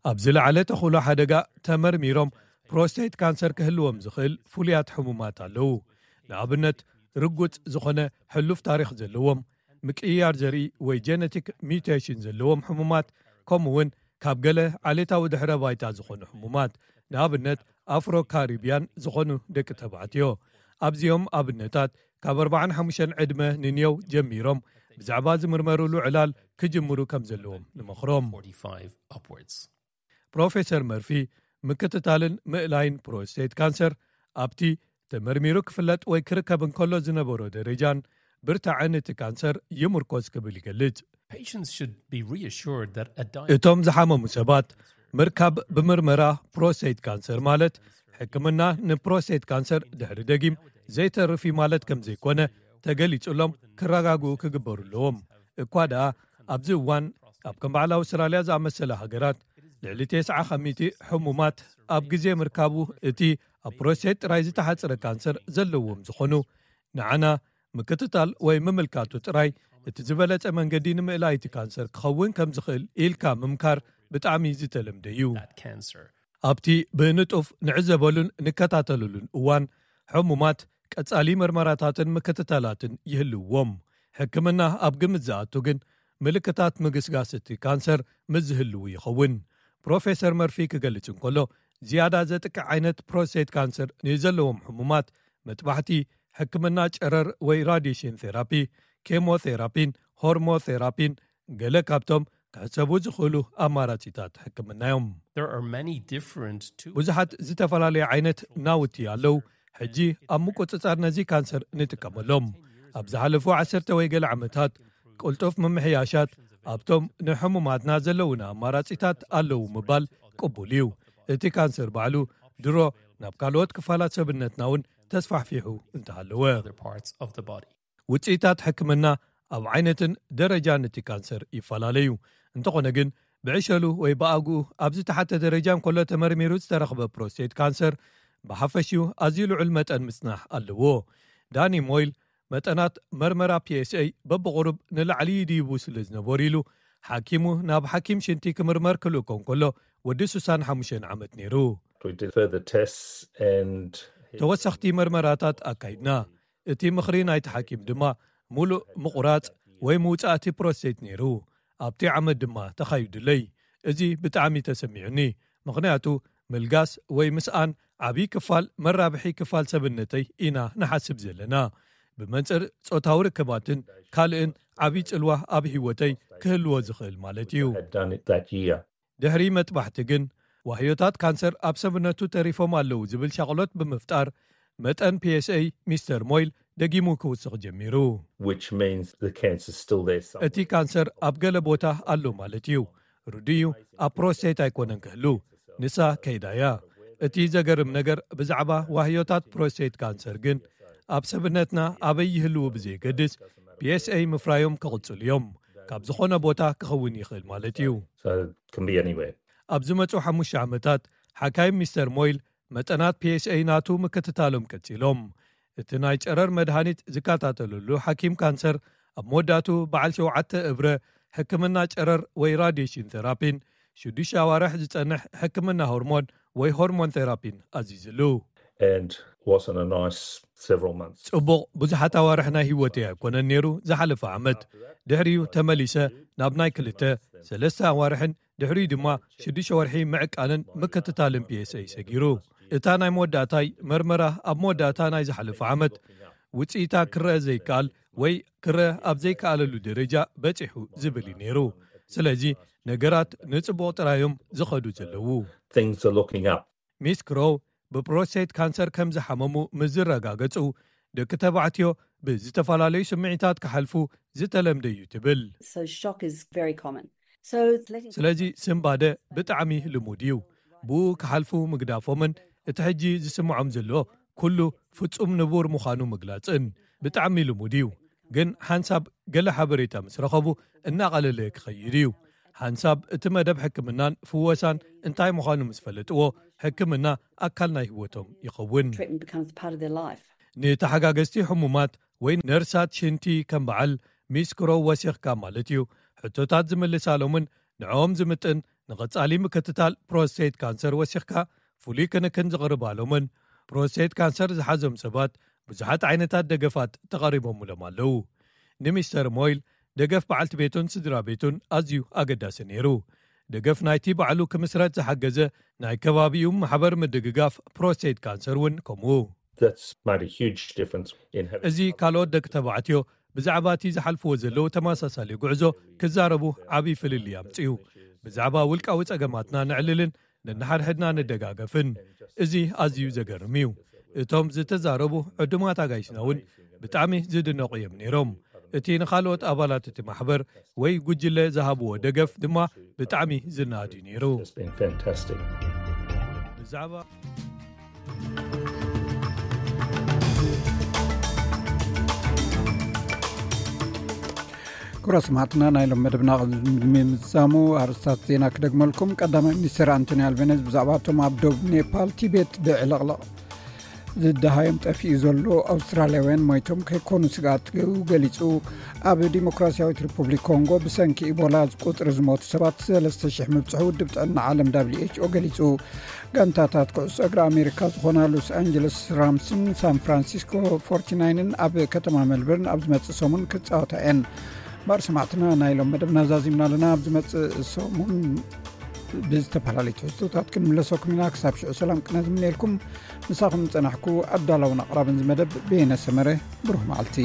ኣብ ዝለዓለ ተኽእሎ ሓደጋ ተመርሚሮም ፕሮስቴት ካንሰር ክህልዎም ዝኽእል ፍሉያት ሕሙማት ኣለዉ። ንኣብነት፣ ርጉጽ ዝኾነ ሕሉፍ ታሪኽ ዘለዎም፣ ምቅይያር ዘርኢ ወይ ጀነቲክ ሚውቴሽን ዘለዎም ሕሙማት፣ ከምኡ እውን ካብ ገለ ዓሌታዊ ድሕረ ባይታ ዝኾኑ ሕሙማት፣ ንኣብነት ኣፍሮ ካሪብያን ዝኾኑ ደቂ ተባዕትዮ። ኣብዚኦም ኣብነታት ካብ ኣርባዓን ሓሙሽተን ዕድመ ንንየው ጀሚሮም ብዛዕባ ዝምርመሩሉ ዕላል ክጅምሩ ከም ዘለዎም ንመኽሮም። forty-five upwards. ፕሮፌሰር መርፊ፣ ምክትታልን ምእላይን ፕሮስቴት ካንሰር ኣብቲ ተመርሚሩ ክፍለጥ ወይ ክርከብ እንከሎ ዝነበሮ ደረጃን ብርታዕን እቲ ካንሰር ይምርኮዝ ክብል ይገልጽ። Patients should be reassured that a diet እቶም ዝሓመሙ ሰባት ምርካብ ብምርመራ ፕሮስቴት ካንሰር ማለት ሕክምና ንፕሮስቴት ካንሰር ድሕሪ ደጊም ዘይተርፍ እዩ ማለት ከም ዘይኮነ ተገሊጹሎም ክረጋግኡ ክግበሩ ኣለዎም። እኳ ደኣ ኣብዚ እዋን ኣብ ከም በዓል ኣውስትራልያ ዝኣመሰለ ሃገራት ልዕሊ ተስዓ ከሚቲ ሕሙማት ኣብ ግዜ ምርካቡ እቲ ኣብ ፕሮስቴት ጥራይ ዝተሓጽረ ካንሰር ዘለዎም ዝኾኑ፣ ንዓና ምክትታል ወይ ምምልካቱ ጥራይ እቲ ዝበለጸ መንገዲ ንምእላይ እቲ ካንሰር ክኸውን ከም ዝኽእል ኢልካ ምምካር ብጣዕሚ ዝተለምደ እዩ። that cancer. ኣብቲ ብንጡፍ ንዕዘበሉን ንከታተለሉን እዋን፣ ሕሙማት ቀጻሊ መርመራታትን ምክትታላትን ይህልውዎም። ሕክምና ኣብ ግምት ዝኣቱ ግን ምልክታት ምግስጋስ እቲ ካንሰር ምስ ዝህልው ይኸውን። ፕሮፌሰር መርፊ ክገልጽ እንከሎ፣ ዝያዳ ዘጥቅዕ ዓይነት ፕሮስቴት ካንሰር ንዘለዎም ሕሙማት መጥባሕቲ፣ ሕክምና ጨረር ወይ ራዲሽን ቴራፒ፣ ኬሞቴራፒን ሆርሞቴራፒን ገለ ካብቶም ክሕሰቡ ዝኽእሉ ኣማራጺታት ሕክምና እዮም። There are many different tools. ብዙሓት ዝተፈላለዩ ዓይነት ናውቲ ኣለዉ። ሕጂ ኣብ ምቁጽጻር ነዚ ካንሰር ንጥቀመሎም። ኣብ ዝሓለፉ ዓሰርተ ወይ ገለ ዓመታት ቅልጡፍ ምምሕያሻት ኣብቶም ንሕሙማትና ዘለውና ኣማራጺታት ኣለዉ ምባል ቅቡል እዩ። እቲ ካንሰር ባዕሉ ድሮ ናብ ካልኦት ክፋላት ሰብነትና እውን ተስፋሕፊሑ እንተሃለወ። Other parts of the body. ውጽኢታት ሕክምና ኣብ ዓይነትን ደረጃን እቲ ካንሰር ይፈላለዩ። እንተኾነ ግን ብዕሸሉ ወይ ብኣግኡ ኣብ ዝተሓተ ደረጃ እንከሎ ተመርሚሩ ዝተረኽበ ፕሮስቴት ካንሰር ብሓፈሽኡ ኣዝዩ ልዑል መጠን ምጽናሕ ኣለዎ። ዳኒ ሞይል መጠናት መርመራ ፒኤስኤ በብቑሩብ ንላዕሊ ይድይቡ ስለ ዝነበሩ ኢሉ ሓኪሙ ናብ ሓኪም ሽንቲ ክምርመር ክልእኮ እንከሎ ወዲ ሱሳን ሓሙሽተ ዓመት ነይሩ። We did further tests and ተወሰኽቲ መርመራታት ኣካይድና። እቲ ምኽሪ ናይቲ ሓኪም ድማ ሙሉእ ምቑራጽ ወይ ምውጻእቲ ፕሮስቴት ነይሩ። ኣብቲ ዓመት ድማ ተኻይዱለይ። እዚ ብጣዕሚ ተሰሚዑኒ፣ ምኽንያቱ ምልጋስ ወይ ምስኣን ዓብዪ ክፋል መራብሒ ክፋል ሰብነተይ ኢና ንሓስብ ዘለና። ብመንጽር ጾታዊ ርክባትን ካልእን ዓብዪ ጽልዋ ኣብ ህይወተይ ክህልዎ ዝኽእል ማለት እዩ። had done it that year. ድሕሪ መጥባሕቲ ግን ዋህዮታት ካንሰር ኣብ ሰብነቱ ተሪፎም ኣለዉ ዝብል ሻቕሎት ብምፍጣር መጠን ፒኤስኤ ሚስተር ሞይል ደጊሙ ክውስኽ ጀሚሩ። Which means the cancer's still there somewhere. እቲ ካንሰር ኣብ ገለ ቦታ ኣሎ ማለት እዩ። ርዱእ እዩ፣ ኣብ ፕሮስቴት ኣይኮነን ክህሉ፣ ንሳ ከይዳ እያ። እቲ ዘገርም ነገር ብዛዕባ ዋህዮታት ፕሮስቴት ካንሰር ግን ኣብ ሰብነትና ኣበይ ይህልዉ ብዘየገድስ ፒኤስኤ ምፍራዮም ክቕጽሉ እዮም። ካብ ዝኾነ ቦታ ክኸውን ይኽእል ማለት እዩ። So it can be anywhere. ኣብ ዝመጹ ሓሙሽተ ዓመታት ሓካይም ሚስተር ሞይል መጠናት ፒኤስኤ ናቱ ምክትታሎም ቀጺሎም። እቲ ናይ ጨረር መድሃኒት ዝከታተለሉ ሓኪም ካንሰር ኣብ መወዳእቱ በዓል ሸውዓተ እብረ ሕክምና ጨረር ወይ ራዲሽን ቴራፒን ሽዱሽተ ኣዋርሕ ዝጸንሕ ሕክምና ሆርሞን ወይ ሆርሞን ቴራፒን ኣዚዝሉ። And wasn't a nice several months. ጽቡቕ ብዙሓት ኣዋርሕ ናይ ህይወተይ ኣይኮነን ነይሩ ዝሓለፈ ዓመት። ድሕሪኡ ተመሊሰ ናብ ናይ ክልተ ሰለስተ ኣዋርሕን ድሕሪኡ ድማ ሽዱሽተ ወርሒ ምዕቃንን ምክትታልን ፒኤስኤ ሰጊሩ። እታ ናይ መወዳእታይ መርመራ ኣብ መወዳእታ ናይ ዝሓለፈ ዓመት ውጽኢታ ክረአ ዘይከኣል ወይ ክረአ ኣብ ዘይከኣለሉ ደረጃ በጺሑ ዝብል እዩ ነይሩ። ስለዚ ነገራት ንጽቡቕ ጥራዮም ዝኸዱ ዘለዉ። Things are looking up. ሚስ ክሮው ብፕሮስቴት ካንሰር ከም ዝሓመሙ ምስ ዝረጋገጹ፣ ደቂ ተባዕትዮ ብዝተፈላለዩ ስምዒታት ክሓልፉ ዝተለምደ እዩ ትብል። So shock is very common. So letting ስለዚ ስንባደ ብጣዕሚ ልሙድ እዩ። ብኡ ክሓልፉ ምግዳፎምን እቲ ሕጂ ዝስምዖም ዘሎ ኩሉ ፍጹም ንቡር ምዃኑ ምግላጽን ብጣዕሚ ልሙድ እዩ። ግን ሓንሳብ ገለ ሓበሬታ ምስ ረኸቡ እናቐለለ ክኸይድ እዩ። ሓንሳብ እቲ መደብ ሕክምናን ፍወሳን እንታይ ምዃኑ ምስ ፈለጥዎ፣ ሕክምና ኣካል ናይ ህይወቶም ይኸውን። Treatment becomes part of their life. ንተሓጋገዝቲ ሕሙማት ወይ ነርሳት ሽንቲ ከም በዓል ሚስክሮ ወሲኽካ ማለት እዩ ሕቶታት ዝምልሳሎምን ንዕኦም ዝምጥን ንቐጻሊ ምክትታል ፕሮስቴት ካንሰር ወሲኽካ ፍሉይ ክንክን ዝቕርባሎምን ፕሮስቴት ካንሰር ዝሓዞም ሰባት ብዙሓት ዓይነታት ደገፋት ተቐሪቦምሎም ኣለዉ። ንሚስተር ሞይል ደገፍ በዓልቲ ቤቱን ስድራ ቤቱን ኣዝዩ ኣገዳሲ ነይሩ። ደገፍ ናይቲ ባዕሉ ክምስረት ዝሓገዘ ናይ ከባቢኡ ማሕበር ምድግጋፍ ፕሮስቴት ካንሰር እውን ከምኡ። That's made a huge difference in having እዚ ካልኦት ደቂ ተባዕትዮ ብዛዕባ እቲ ዝሓልፍዎ ዘለዉ ተመሳሳሊ ጉዕዞ ክዛረቡ ዓብዪ ፍልልይ ኣምጽኡ። ብዛዕባ ውልቃዊ ጸገማትና ነዕልልን ነንሓድሕድና ንደጋገፍን። እዚ ኣዝዩ ዘገርም እዩ። እቶም ዝተዛረቡ ዕዱማት ኣጋይሽና እውን ብጣዕሚ ዝድነቑ እዮም ነይሮም። እቲ ንኻልኦት ኣባላት እቲ ማሕበር ወይ ጉጅለ ዝሃብዎ ደገፍ ድማ ብጣዕሚ ዝነኣድ እዩ ነይሩ። It's been fantastic. ብዛዕባ ክቡራት ሰማዕትና፣ ናይ ሎም መደብና ምዛሙ ኣርስታት ዜና ክደግመልኩም። ቀዳማይ ሚኒስትር ኣንቶኒ ኣልቤነዝ ብዛዕባ እቶም ኣብ ዶብ ኔፓል ቲቤት ብዕለቕለቕ ዝደሃዮም ጠፊኡ ዘሎ ኣውስትራልያውያን ሞይቶም ከይኮኑ ስግኣት ገሊጹ። ኣብ ዲሞክራሲያዊት ሪፑብሊክ ኮንጎ ብሰንኪ ኢቦላ ቁጽሪ ዝሞቱ ሰባት ሰለስተ ሽሕ ምብጽሑ ውድብ ጥዕና ዓለም W H O ገሊጹ። ጋንታታት ኩዕሶ እግሪ ኣሜሪካ ዝኾና ሎስ ኣንጀለስ ራምስን ሳን ፍራንሲስኮ ፎርቲናይንን ኣብ ከተማ ሜልበርን ኣብ ዝመጽእ ሰሙን ክጻወታ እየን። ባር ሰማዕትና፣ ናይ ሎም መደብና ዛዚምና ኣለና። ኣብ ዝመጽእ ሰሙን ብዝተፈላለዩ ትሕዝቶታት ክንምለሰኩም ኢና። ክሳብ ሽዑ ሰላም ቅነ ዝምነየልኩም። ምሳኹም ዝጸናሕኩ ኣዳላውን ኣቕራብን ዝመደብ በየነ ሰመረ። ብሩህ መዓልቲ።